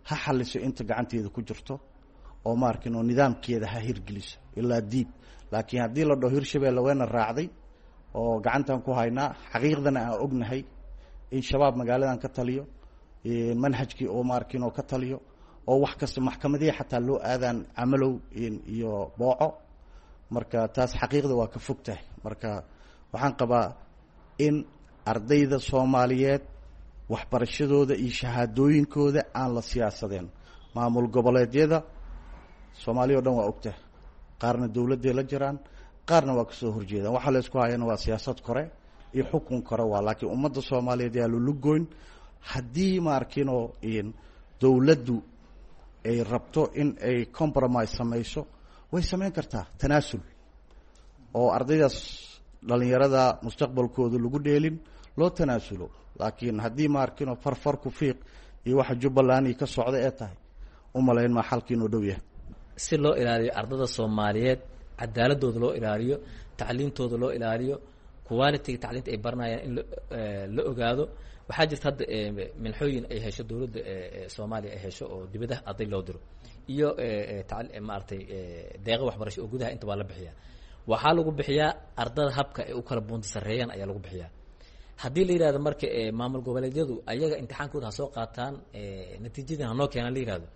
Speaker 13: ha xaliso inta gacanteeda ku jirto oo maarkin oo nidaamkeeda ha hirgeliso ilaa diib. Laakiin haddii la dhaho Hirshabeelle wayna raacday oo gacantan ku haynaa, xaqiiqdana aan ognahay in Shabaab magaaladan ka taliyo, manhajkii oo maarkin oo ka taliyo, oo wax kasta maxkamadihii xataa loo aadaan Camalow iyo Booco, marka taas xaqiiqda waa ka fog tahay. Marka waxaan qabaa in ardayda Soomaaliyeed waxbarashadooda iyo shahaadooyinkooda aan la siyaasadeen. Maamul goboleedyada Soomaaliya o dhan waa ogtahay, qaarna dowladday la jiraan, qaarna waa kasoo horjeedaan. Waxaa la isku hayana waa siyaasad kore iyo xukun kore waa, laakiin ummadda Soomaaliyeed yaa lulugoyn. Haddii maarkinoo dowladdu ay rabto in ay compromise samayso, way samayn kartaa tanaasul oo ardaydaas dhalinyarada mustaqbalkooda lagu dheelin loo tanaasulo. Laakiin haddii maarkino farfar ku fiiq iyo waxa Jubbaland iyo ka socda ee tahay, u malayn maa xalkii inuu dhow yahay.
Speaker 12: Si loo ilaaliyo ardada Soomaaliyeed, cadaaladooda loo ilaaliyo, tacliintooda loo ilaaliyo, quality tacliinta ay baranayaan in la ogaado, waxaa jirta hadda minxooyin ay hesho dowladda Soomaaliya ay hesho oo dibadaha arday loo diro iyo maaragtay deeqa waxbarasho oo gudaha inta waa la bixiyaa. Waxaa lagu bixiyaa ardada habka ay u kala buunta sarreeyaan ayaa lagu bixiyaa. Haddii la yihahdo marka maamul goboleedyadu ayaga imtixaankooda ha soo qaataan, natiijadan hanoo keenaan la yihahdo,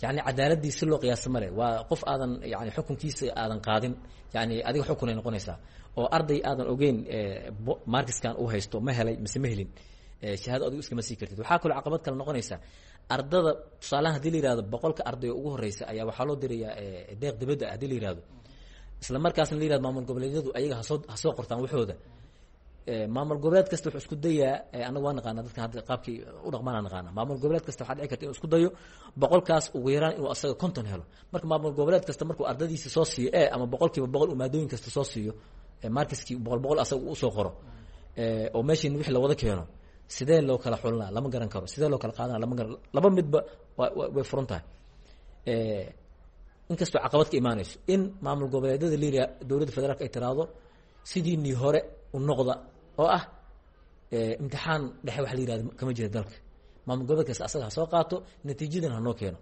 Speaker 12: yani cadaaladii si loo qiyaasa male. Waa qof aadan yani xukunkiisa aadan qaadin, yani adiga xukun ay noqonaysaa oo arday aadan ogeyn markiskan uu haysto ma helay mise ma helin, shahaado adigu iskama sii kartid. Waxaa kaloo caqabad kale noqonaysa ardada, tusaalahan hadii la yihahdo boqolka arday oo ugu horeysa ayaa waxaa loo dirayaa deeq dibadda, hadii la yihahdo isla markaasna la yihahdo maamul goboleedyadu ayaga hasoo hasoo qortaan waxooda, maamul goboleed kasta wuxuu isku dayaa, anagu waa naqaana dadkan hadda qaabkii u dhaqmaana naqaana, maamul goboleed kasta waxaa dhici karta inuu isku dayo boqolkaas ugu yaraan inuu asaga konton helo. Marka maamul goboleed kasta markuu ardadiisa soo siiyo e ama boqolkiiba boqol uu maadooyin kasta soo siiyo, markiskii boqol boqol asaga usoo qoro, oo meeshiin wixii lawada keeno, sidee loo kala xulinaa lama garan karo, sidee loo kala qaadana lama garan, laba midba wa way furan tahay. Inkastoo caqabad ka imaanayso in maamul goboleedyada liria dowladda federaalka ay tiraahdo sidiinii hore u noqda oo ah imtixaan dhexe wax la yihahdo kama jira dalka, maamul goboleed kasta asaga ha soo qaato, natiijadan ha noo keeno,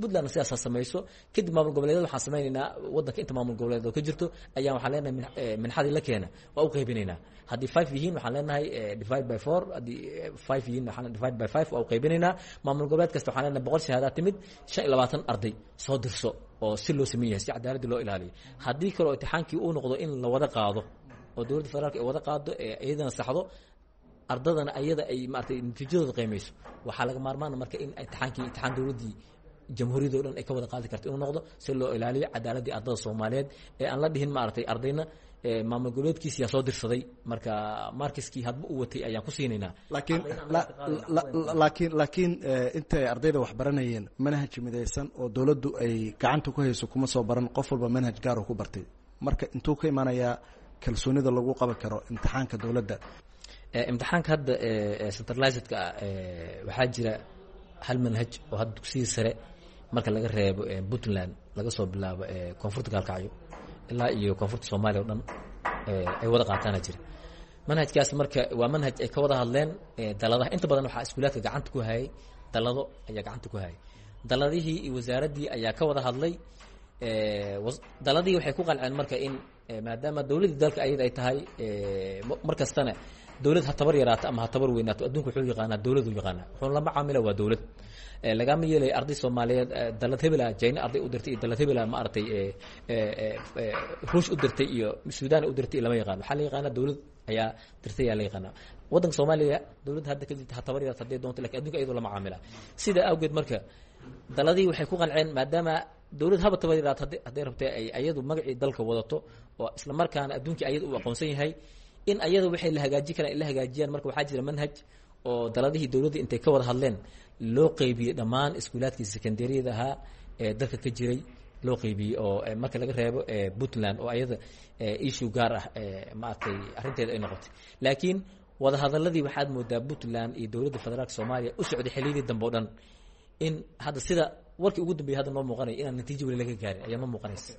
Speaker 12: Puntlandna sidaas ha samayso. Kadib maamul goboleedyada waxaan samaynaynaa waddanka inta maamul goboleed oo ka jirto ayaan waxaan leenahay minxadii la keena waa u qaybinaynaa. Haddii five yihiin waxaan leenahay divide by four, haddii five yihiin waxaan divide by five waa u qaybinaynaa. Maamul goboleed kasta waxaan leenahay boqol shahaadaa timid, shan iyo labaatan arday soo dirso, oo si loo sameyn yahay si cadaaladii loo ilaaliyo. Haddii kaloo imtixaankii uu noqdo in la wada qaado oo dowladda federaalka ay wada qaado ee iyadana saxdo, ardadana ayada ay maaragtay natiijadooda qiimeyso, waxaa laga maarmaana marka in imtixaankii imtixaan dowladdii jamhuuriyadda o dhan ay ka wada qaadi karto inuu noqdo, si loo ilaaliyo cadaaladdii ardada Soomaaliyeed ee aan la dhihin maaragtay ardayna maamul goboleedkiisi yaa soo dirsaday, marka markiskii hadba u watay ayaan ku siinaynaa.
Speaker 11: Laakiin laakiin laakiin intay ardayda wax baranayeen manhaj midaysan oo dowladdu ay gacanta ku hayso kuma soo baran, qof walba manhaj gaar oo ku bartay. Marka intuu ka imaanayaa kalsoonida lagu qaban karo imtixaanka dowladda?
Speaker 12: Imtixaanka hadda centralizedka ah waxaa jira hal manhaj oo hadda dugsiga sare marka laga reebo Puntland, laga soo bilaabo koonfurta Gaalkacyo ilaa iyo koonfurta Soomaaliya o dhan ay wada qaataana jira. Manhajkaas marka waa manhaj ay ka wada hadleen daladaha. Inta badan waxaa iskuulaadka gacanta ku hayay dalado ayaa gacanta ku hayay, daladihii iyo wasaaraddii ayaa ka wada hadlay. Daladii waxay ku qanceen marka in maadaama dowladdii dalka ayada ay tahay, mar kastana dowlad ha tabar yaraato ama ha tabar weynaato, adduunka wuxuu yaqaanaa dowladu yaqaanaa, wuxuuna lama caamila waa dowlad. Lagama yeelaya arday Soomaaliyeed dalad hebela China arday u dirtay iyo dalad hebela maaragtay Ruush u dirtay iyo Suudaan u dirtay, lama yaqaano. Waxaa la yaqaanaa dowlad ayaa dirtay ayaa la yaqaanaa. Waddanka Soomaaliya dowladda hadda ka jirta ha tabar yaraato hadday doonto, lakin adduunka iyadoo lama caamila. Sidaa awgeed marka daladii waxay ku qanceen maadaama dowlad haba tabar yaraato hadday rabtay ay ayadu magacii dalka wadato oo isla markaana adduunkii ayada uu aqoonsan yahay, in ayada waxay la hagaajin karaan ay la hagaajiyaan. Marka waxaa jira manhaj oo daladihii dowladda intay ka wada hadleen loo qeybiyey dhammaan iskuulaadkii secondariyada ahaa ee dalka ka jiray loo qeybiyey, oo marka laga reebo Puntland oo ayada issue gaar ah maaragtay arrinteeda ay noqotay. Laakiin wadahadaladii waxaad moodaa Puntland iyo dowladda federaalka Soomaaliya u socday xilliyadii dambe o dhan in hadda sida warkii ugu dambeeyay hadda noo muuqanaya inaan natiijo weli laga gaarin ayaa noo muuqanaysa.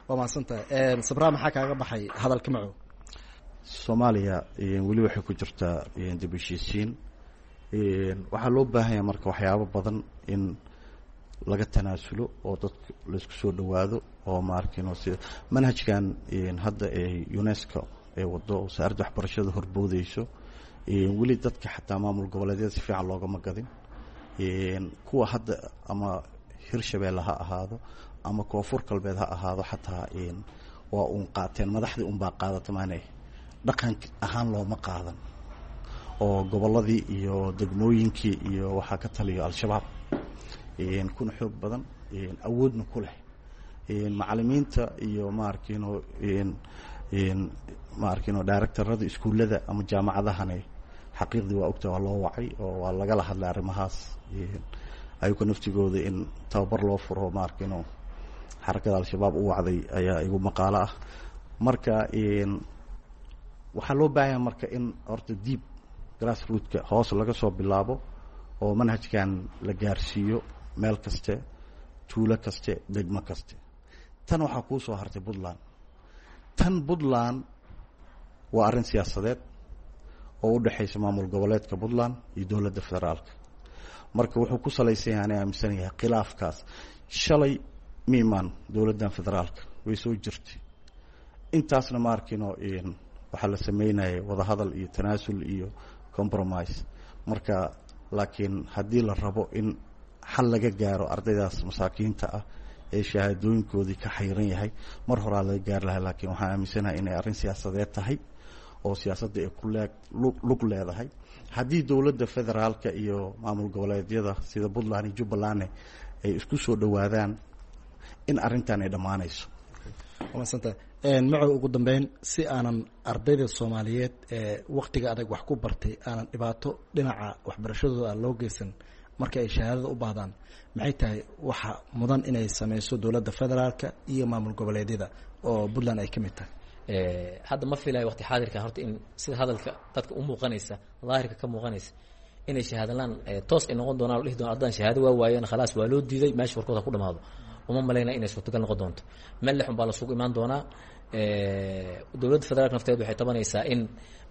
Speaker 11: Waa mahadsantahay Sabraa. Maxaa kaaga baxay hadalka Macow?
Speaker 13: Soomaaliya weli waxay ku jirtaa dib u heshiisiin. Waxaa loo baahanya marka waxyaabo badan in laga tanaasulo oo dadka laisku soo dhowaado oo maarkino sida manhajkan hadda ee UNESCO ee wado wasaaradda waxbarashada horboodeyso, weli dadka xataa maamul goboleedyada si fiican loogama gadin. Kuwa hadda ama Hirshabeelle ha ahaado ama Koonfur Galbeed ha ahaado, xataa waa uun qaateen madaxdii unbaa qaadata, maane dhaqan ahaan looma qaadan, oo gobolladii iyo degmooyinkii iyo waxaa ka taliyo Al-Shabaab kuna xoog badan awoodna ku leh macalimiinta iyo maarkino maarkino directorada iskuullada ama jaamacadahani. Xaqiiqdii waa ogta, waa loo wacay oo waa lagala hadlay arrimahaas, ayuka naftigooda in tababar loo furo maarkino xarakada Al-Shabaab u wacday ayaa igu maqaalo ah. Marka waxaa loo baahanya marka in horta deep grassrootka hoos laga soo bilaabo oo manhajkan la gaarsiiyo meel kaste, tuulo kaste, degmo kaste. Tan waxaa kuu soo hartay Puntland. Tan Puntland waa arrin siyaasadeed oo u dhexaysa maamul goboleedka Puntland iyo dowladda federaalka. Marka wuxuu ku salaysan yahay, ana aaminsan yahay, khilaafkaas shalay miimaan dowladdan federaalka way soo jirtay intaasna ma arkino. Waxaa la sameynayay wadahadal iyo tanaasul iyo compromise. Marka laakiin haddii la rabo in xal laga gaaro ardaydaas masaakiinta ah ee shahaadooyinkoodii ka xayran yahay, mar horaa laga gaari lahaa. Laakiin waxaan aaminsanahay inay arrin siyaasadeed tahay oo siyaasadda ay ku leeg lug leedahay. Haddii dowladda federaalka iyo maamul goboleedyada sida Puntland iyo Jubbalandne ay isku soo dhowaadaan, in arrintan ay dhammaanayso.
Speaker 11: Maasanta Macow. Ugu dambeyn, si aanan ardayda Soomaaliyeed ee waktiga adag wax ku bartay aanan dhibaato dhinaca waxbarashadooda aan loo geysan marka ay shahaadada u baahdaan, maxay tahay waxa mudan inay sameyso dowladda federaalka iyo maamul goboleedyada oo Puntland ay ka mid tahay?
Speaker 12: Hadda ma filayo waqti xaadirkan horta in sida hadalka dadka u muuqanaysa daahirka ka muuqanaysa inay shahaadalaan toos ay noqon doonaan o dhihi doonaan ardadan shahaado waa waayeen, khalaas waa loo diiday, meesha warkooda ku dhamaado. Uma malayna inay suurtagal noqon doonto. Meel lexun baa lasugu imaan doonaa. Dowladda federaalka nafteed waxay tabanaysaa in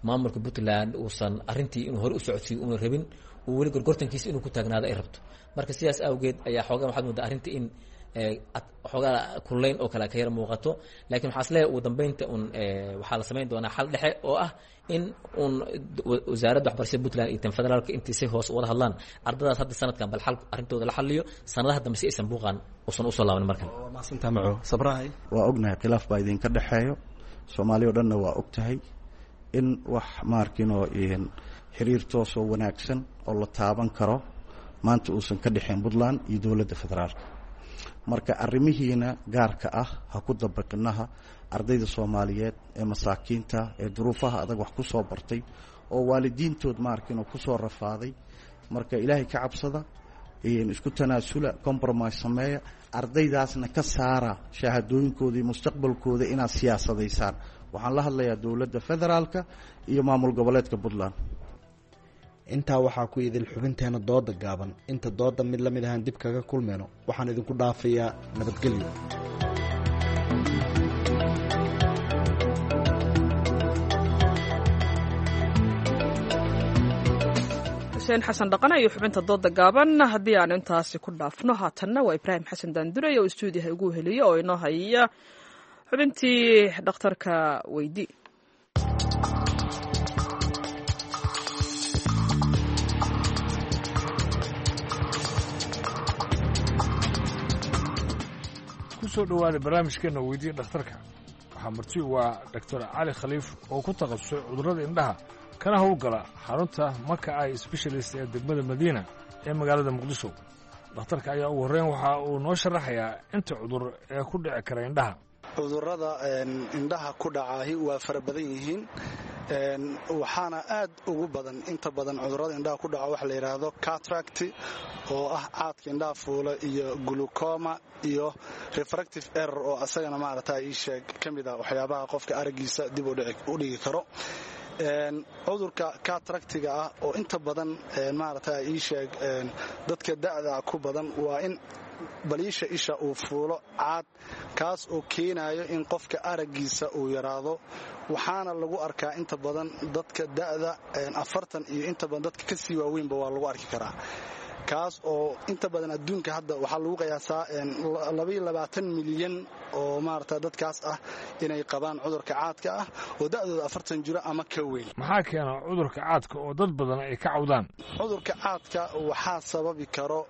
Speaker 12: maamulka Puntland uusan arrintii inuu hore u socodsiiyo una rabin, uu weli gorgortankiisa inuu ku taagnaado ay rabto. Marka sidaas awgeed ayaa xoogaa waxaad moodaa arrinta in xoogaa kuleyn oo kale ka yar muuqato. Laakiin waxaa isleeyahay ugu dambeynta un waxaa la samayn doonaa xal dhexe oo ah in un wasaaradda waxbarashada Puntland iyo tan federaalka intii si hoos wada hadlaan ardadaas hadda sanadkan bal xal arrintooda la xaliyo, sanadaha dambe si aysan buuqan usan usoo laaban markan.
Speaker 11: Waa mahadsantaha Macow. Sabrahay.
Speaker 13: Waa ognahay khilaaf baa idinka dhexeeyo, Soomaaliya o dhanna waa og tahay in wax maarkino xiriir toosoo wanaagsan oo la taaban karo maanta uusan ka dhexayn Puntland iyo dowladda federaalka. Marka arrimihiina gaarka ah ha ku dabaqinaha ardayda Soomaaliyeed ee masaakiinta ee duruufaha adag wax ku soo bartay oo waalidiintood maarkino ku soo rafaaday. Marka Ilaahay ka cabsada, isku tanaasula, compromise sameeya, ardaydaasna ka saara shahaadooyinkooda iyo mustaqbalkooda inaad siyaasadaysaan. Waxaan la hadlayaa dowladda federaalka iyo maamul goboleedka Puntland.
Speaker 11: Intaa waxaa ku idil xubinteena dooda gaaban. Inta dooda mid la mid ahaan dib kaga kulmeyno, waxaan idinku dhaafayaa nabadgelyo.
Speaker 1: Xuseen Xasan Dhaqane iyo xubinta dooda gaaban haddii aanu intaasi ku dhaafno, haatanna waa Ibraahim Xasan Daandurey oo istuudiyaha ugu heliya oo inoo haya xubintii dhakhtarka weydi.
Speaker 2: Kusoo dhowaada barnaamijkeena weydiiya dhakhtarka. Waxaa marti waa Doctor Cali Khaliif oo ku takhasusay cudurrada indhaha kana howlgala xarunta Maka Eye Specialist ee degmada Madiina ee magaalada Muqdisho. Dhakhtarka ayaa ugu horreyn waxa uu noo sharaxayaa inta cudur ee ku dhici kara indhaha.
Speaker 14: Cudurrada indhaha ku dhacaahi waa fara badan yihiin, waxaana aad ugu badan inta badan cudurrada indhaha ku dhaca waxa la yidhaahdo cataract oo ah caadka indhaha fuula, iyo glucoma, iyo refractive error oo asagana maaragta ii sheeg ka mid ah waxyaabaha qofka araggiisa dib u dhigi karo. Cudurka cataractiga ah oo inta badan maaragta ii sheeg dadka da'da ku badan waa in baliisha isha uu fuulo caad, kaas oo keenayo in qofka araggiisa uu yaraado. Waxaana lagu arkaa inta badan dadka da'da afartan iyo inta badan dadka ka sii waaweynba waa lagu arki karaa, kaas oo inta badan adduunka hadda waxaa lagu qiyaasaa labaiyo labaatan milyan oo maarata dadkaas ah inay qabaan cudurka caadka ah oo da'dooda afartan jiro ama ka weyn.
Speaker 2: Maxaa keena cudurka caadka oo dad badan ay ka cawdaan?
Speaker 14: Cudurka caadka waxaa sababi karo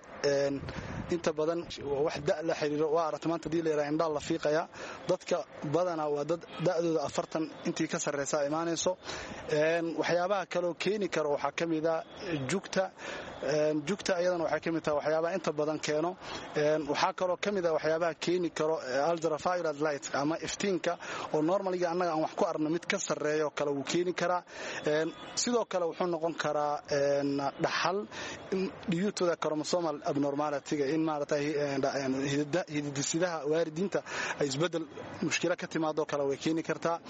Speaker 14: inta badan wax da' la xiriiro. Waa aragta maanta hadii la yidhaha indhaa la fiiqayaa, dadka badanaa waa dad da'dooda afartan intii ka sarreysaa imaanayso. Waxyaabaha kaloo keeni karo waxaa ka mid a jugta. Jugta iyadana waxay ka mid tahay waxyaabaha inta badan keeno. Waxaa kaloo ka mid ah waxyaabaha keeni karo ultraviolet light ama iftiinka oo normaliga annaga aan wax ku arno mid ka sarreeyo kale wuu keeni karaa. Sidoo kale wuxuu noqon karaa dhaxal dhiyuutooda chromosomal abnormalityga, in maaragtay hididisidaha waalidiinta ay isbedel mushkilo ka timaadoo kale way keeni kartaa.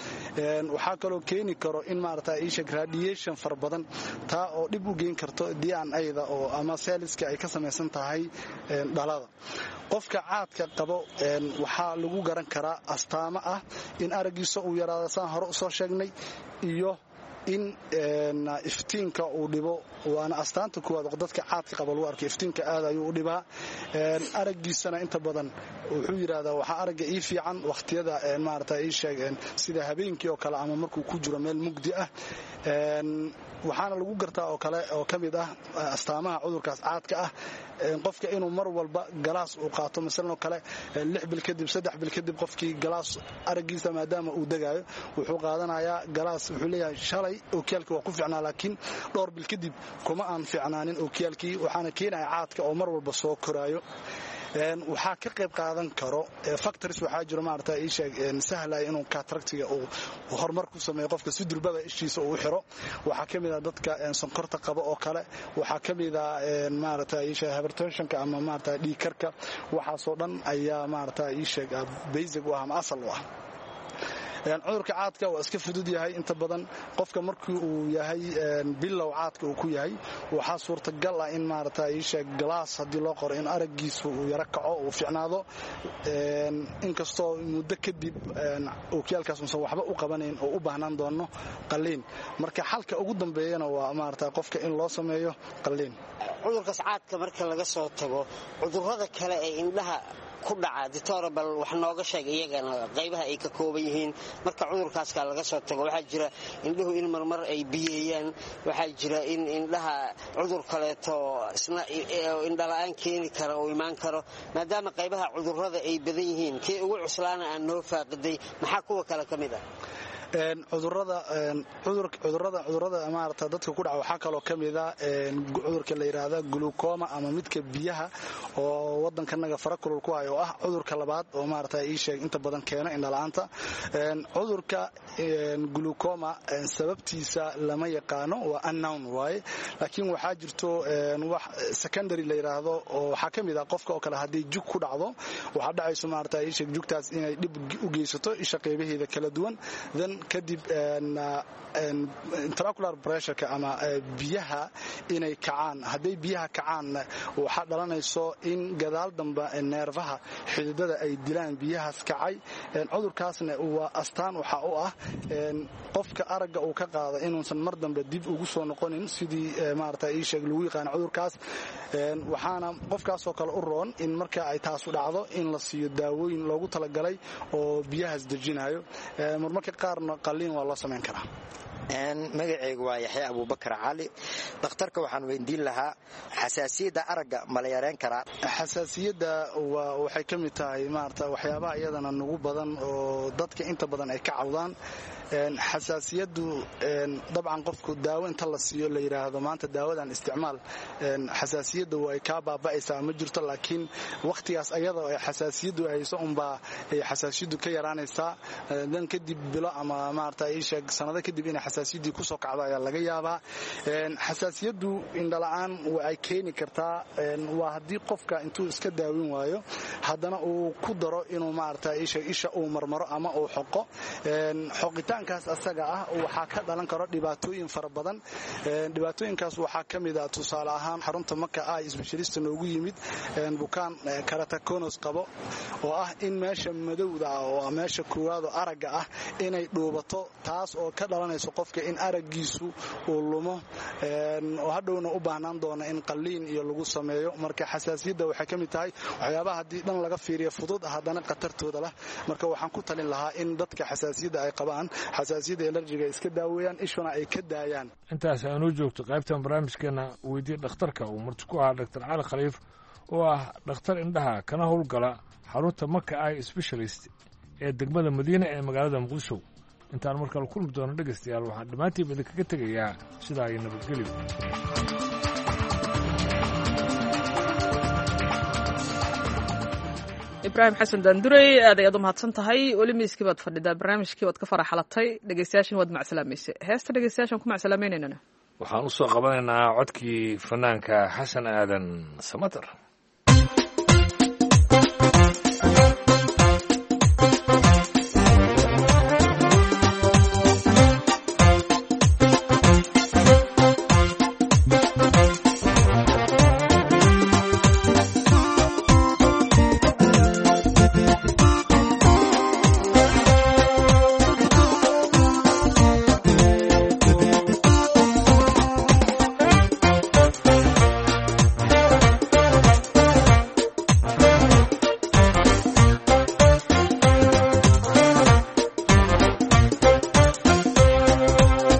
Speaker 14: Waxaa kaloo keeni karo in maaragtay isheg radiation fara badan, taa oo dhib u geyn karto D N A-da oo ama seeliska ay ka samaysan tahay dhalada. Qofka caadka qabo waxaa lagu garan karaa astaamo ah in araggiisa uu yaraado saan hore usoo sheegnay, iyo in iftiinka uu dhibo. Waana astaanta kuwaad oo dadka caadka qaba lagu arko, iftiinka aad ayuu u dhibaa araggiisana. Inta badan wuxuu yidhaahdaa waxaa aragga ii fiican wakhtiyada maarata ii sheeg sida habeenkii oo kale ama markuu ku jiro meel mugdi ah. Waxaana lagu gartaa oo kale oo ka mid ah astaamaha cudurkaas caadka ah qofka inuu mar walba galaas uu qaato, masalan oo kale lix bil kadib, saddex bil kadib qofkii galaas araggiisa maadaama uu degaayo wuxuu qaadanayaa galaas. Wuxuu leeyahay shalay ookiyaalkii waa ku fiicnaa, laakiin dhowr bil kadib kuma aan fiicnaanin ookiyaalkii. Waxaana keenaya caadka oo mar walba soo koraayo. Waxaa ka qayb qaadan karo factories, waxaa jiro maarata ii sheeg sahlaya inuu cataractiga uu horumar ku sameeyo qofka si durbaba ishiisa uu xiro. Waxaa ka mid ah dadka sonkorta qaba oo kale, waxaa ka mid ah maarata ii sheeg hypertensionka ama maarata dhiig karka. Waxaasoo dhan ayaa maarata ii sheeg basic u ah ama asal u ah. Cudurka caadka waa iska fudud yahay inta badan. Qofka markii uu yahay bilow caadka uu ku yahay, waxaa suurtagal ah in maarata ii sheeg galaas haddii loo qoro in araggiisu uu yaro kaco, uu fiicnaado, inkastoo muddo kadib ookiyaalkaas uusan waxba u qabanayn oo u baahnaan doono qalliin. Marka xalka ugu dambeeyana waa maarata qofka in loo sameeyo qalliin.
Speaker 15: Cudurkaas caadka marka laga soo tago, cudurrada kale ee indhaha ku dhaca, doctor, bal wax nooga sheeg iyagana qaybaha ay ka kooban yihiin. Marka cudurkaaska laga soo tago, waxaa jira indhuhu in marmar ay biyeeyaan, waxaa jira in indhaha cudur kaleeto isna indhala-aan keeni kara uu imaan karo. Maadaama qaybaha cudurrada ay badan yihiin, kii ugu cuslaana aan noo faaqiday, maxaa kuwa kale ka mid ah?
Speaker 14: Cudurada cudurada cudurada maarata dadka ku dhaca waxaa kaloo ka mid ah cudurka la yidhaahda glucoma ama midka biyaha oo waddankanaga fara kulul ku hayo, oo ah cudurka labaad oo maarata ii sheeg inta badan keena indhala-aanta. Cudurka glucoma sababtiisa lama yaqaano, waa unknown waaye, laakiin waxaa jirto wax secondary la yidhaahdo oo waxaa ka mid ah qofka oo kale haddii jug ku dhacdo, waxaa dhacayso maarata ii sheeg jugtaas inay dhib u geysato isha qeybaheeda kala duwan, then Kadib intraocular pressureka ama biyaha inay kacaan. Hadday biyaha kacaanna waxaa dhalanayso in gadaal dambe neerfaha xididada ay dilaan biyahaas kacay. Cudurkaasna waa astaan waxaa u ah qofka aragga uu ka qaado inuusan mar dambe dib ugu soo noqonin sidii maarata ii sheeg lagu yaqaano cudurkaas. Waxaana qofkaasoo kale u roon in marka ay taasu dhacdo in la siiyo daawooyin loogu talagalay oo biyahaas dejinayo. Marmarka qaarna qalliin waa loo samayn karaa.
Speaker 16: Magacaygu waa Yaxya Abuubakar Cali. Dhakhtarka waxaan weydiin lahaa, xasaasiyadda aragga ma la yareyn karaa?
Speaker 14: Xasaasiyadda waxay ka mid tahay maarata waxyaabaha iyadana nugu badan oo dadka inta badan ay ka cawdaan. Xasaasiyaddu dabcan qofku daawo inta la siiyo la yidhaahdo maanta daawadan isticmaal xasaasiyadda way kaa baaba'aysaa ma jirto, laakiin wakhtigaas ayada ay xasaasiyaddu hayso unbaa ay xasaasiyaddu ka yaraanaysaa. Dan kadib bilo ama maarata ii sheeg sanado kadib inay xasaasiyaddii kusoo kacdo ayaa laga yaabaa. Xasaasiyaddu indhala'aan ay keeni kartaa waa haddii qofka intuu iska daawin waayo haddana uu ku daro inuu maarata ii sheeg isha uu marmaro ama uu xoqo. Xoqitaankaas asaga ah waxaa ka dhalan karo dhibaatooyin fara badan. Dhibaatooyinkaas waxaa ka mid ah tusaale ahaan xarunta Maka Eye Specialist noogu yimid bukaan keratoconus qabo, oo ah in meesha madowda ah oo meesha koowaad oo aragga ah inay dhuubato, taas oo ka dhalanayso qofka in araggiisu uu lumo oo hadhowna u baahnaan doona in qalliin iyo lagu sameeyo. Marka xasaasiyadda waxay ka mid tahay waxyaabaha haddii dhan laga fiiriyo fudud haddana khatartooda lah. Marka waxaan ku talin lahaa in dadka xasaasiyadda ay qabaan xasaasiyadda elarjiga iska daaweeyaan, ishuna ay ka daayaan.
Speaker 2: Intaas aanuu joogto qaybtan barnaamijkeena weydii dhakhtarka uu marti ku ahaa Doctor Cali Khaliif oo ah dhakhtar indhaha kana howlgala xarunta Maka Eye Specialist ee degmada Madiina ee magaalada Muqdisho. Intaan markale kulmi doono dhegaystayaal, waxaan dhammaantiinba idinkaga tegayaa sidaa iyo nabadgelyo.
Speaker 1: Ibraahim Xasan Daandurey, aad ayaad u mahadsan tahay. Weli miiskii baad fadhidaa, barnaamijkii waad ka faraxalatay, dhegeystayaashan waad macsalaamayse. Heesta dhegeystayaashan ku macsalaamaynaynana
Speaker 2: waxaan u soo qabanaynaa codkii fanaanka Xasan Aadan Samatar.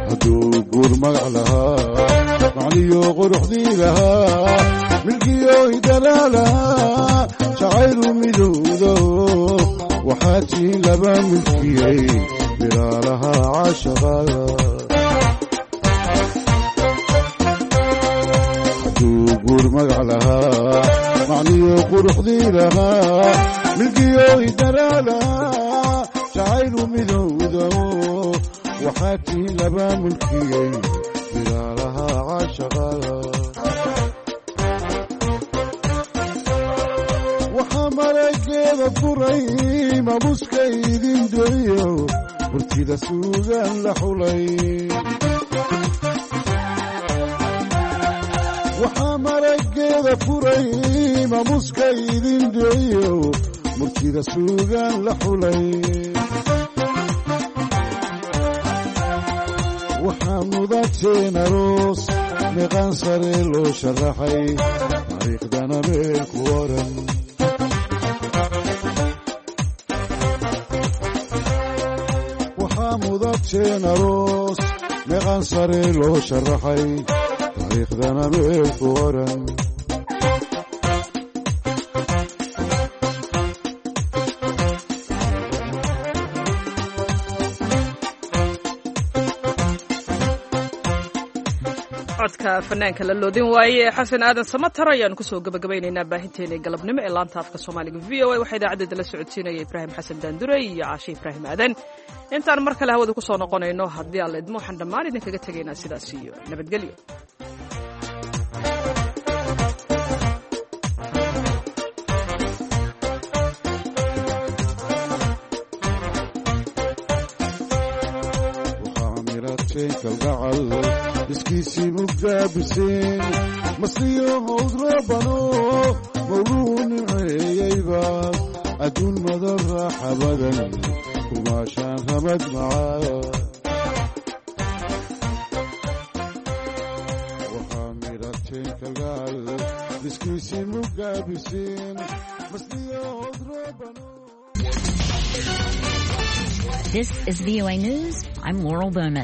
Speaker 17: Hadduu guur magac lahaa, macniyo quruxdii lahaa, milkiyo idalaalahaa, jacaylu midowdo waxaa tiin laba milkiyey milaalaha caashaqada. Hadduu guur magac lahaa, macniyo quruxdii lahaa, milkiyo idalaalahaa, jacaylu midowdo waxaa tiin laba mulkiyey bilaalaha caashaqada. Waxaa marageeda furay mabuska idin doriyo murtida suugaan la xulay. Waxaa marageeda furay mabuska idin doriyo murtida suugaan la xulay. Waxaa mudateen aroos meeqaan sare loo sharaxay, taariikhdana meel ku oran. Waxaa mudateen aroos meeqaan sare loo sharaxay, taariikhdana meel ku oran.
Speaker 1: Codka fanaanka la loodin waaye Xasan Aadan Samatar ayaanu kusoo gabagabaynaynaa baahinteena galabnimo ee laanta afka Soomaaliga V O A. Waxaa idaacaddeeda la socodsiinaya Ibraahim Xasan Daandurey iyo Caashe Ibraahim Aadan. Intaan mar kale hawada kusoo noqonayno haddii aan la idmo, waxaan dhammaan idinkaga tegaynaa sidaas iyo nabadgelyo.
Speaker 17: midhateen kalgacal iskiisii mugaabiseen masiyo howd roobano mawluu nimceeyeyba adduun madan raaxa badan kumaashaan ramad macaa waxaa midhateen kalgacal iskiisii mugaabiseen masiyo howd roobano.
Speaker 18: This is V O A News. I'm Laurel Bowman.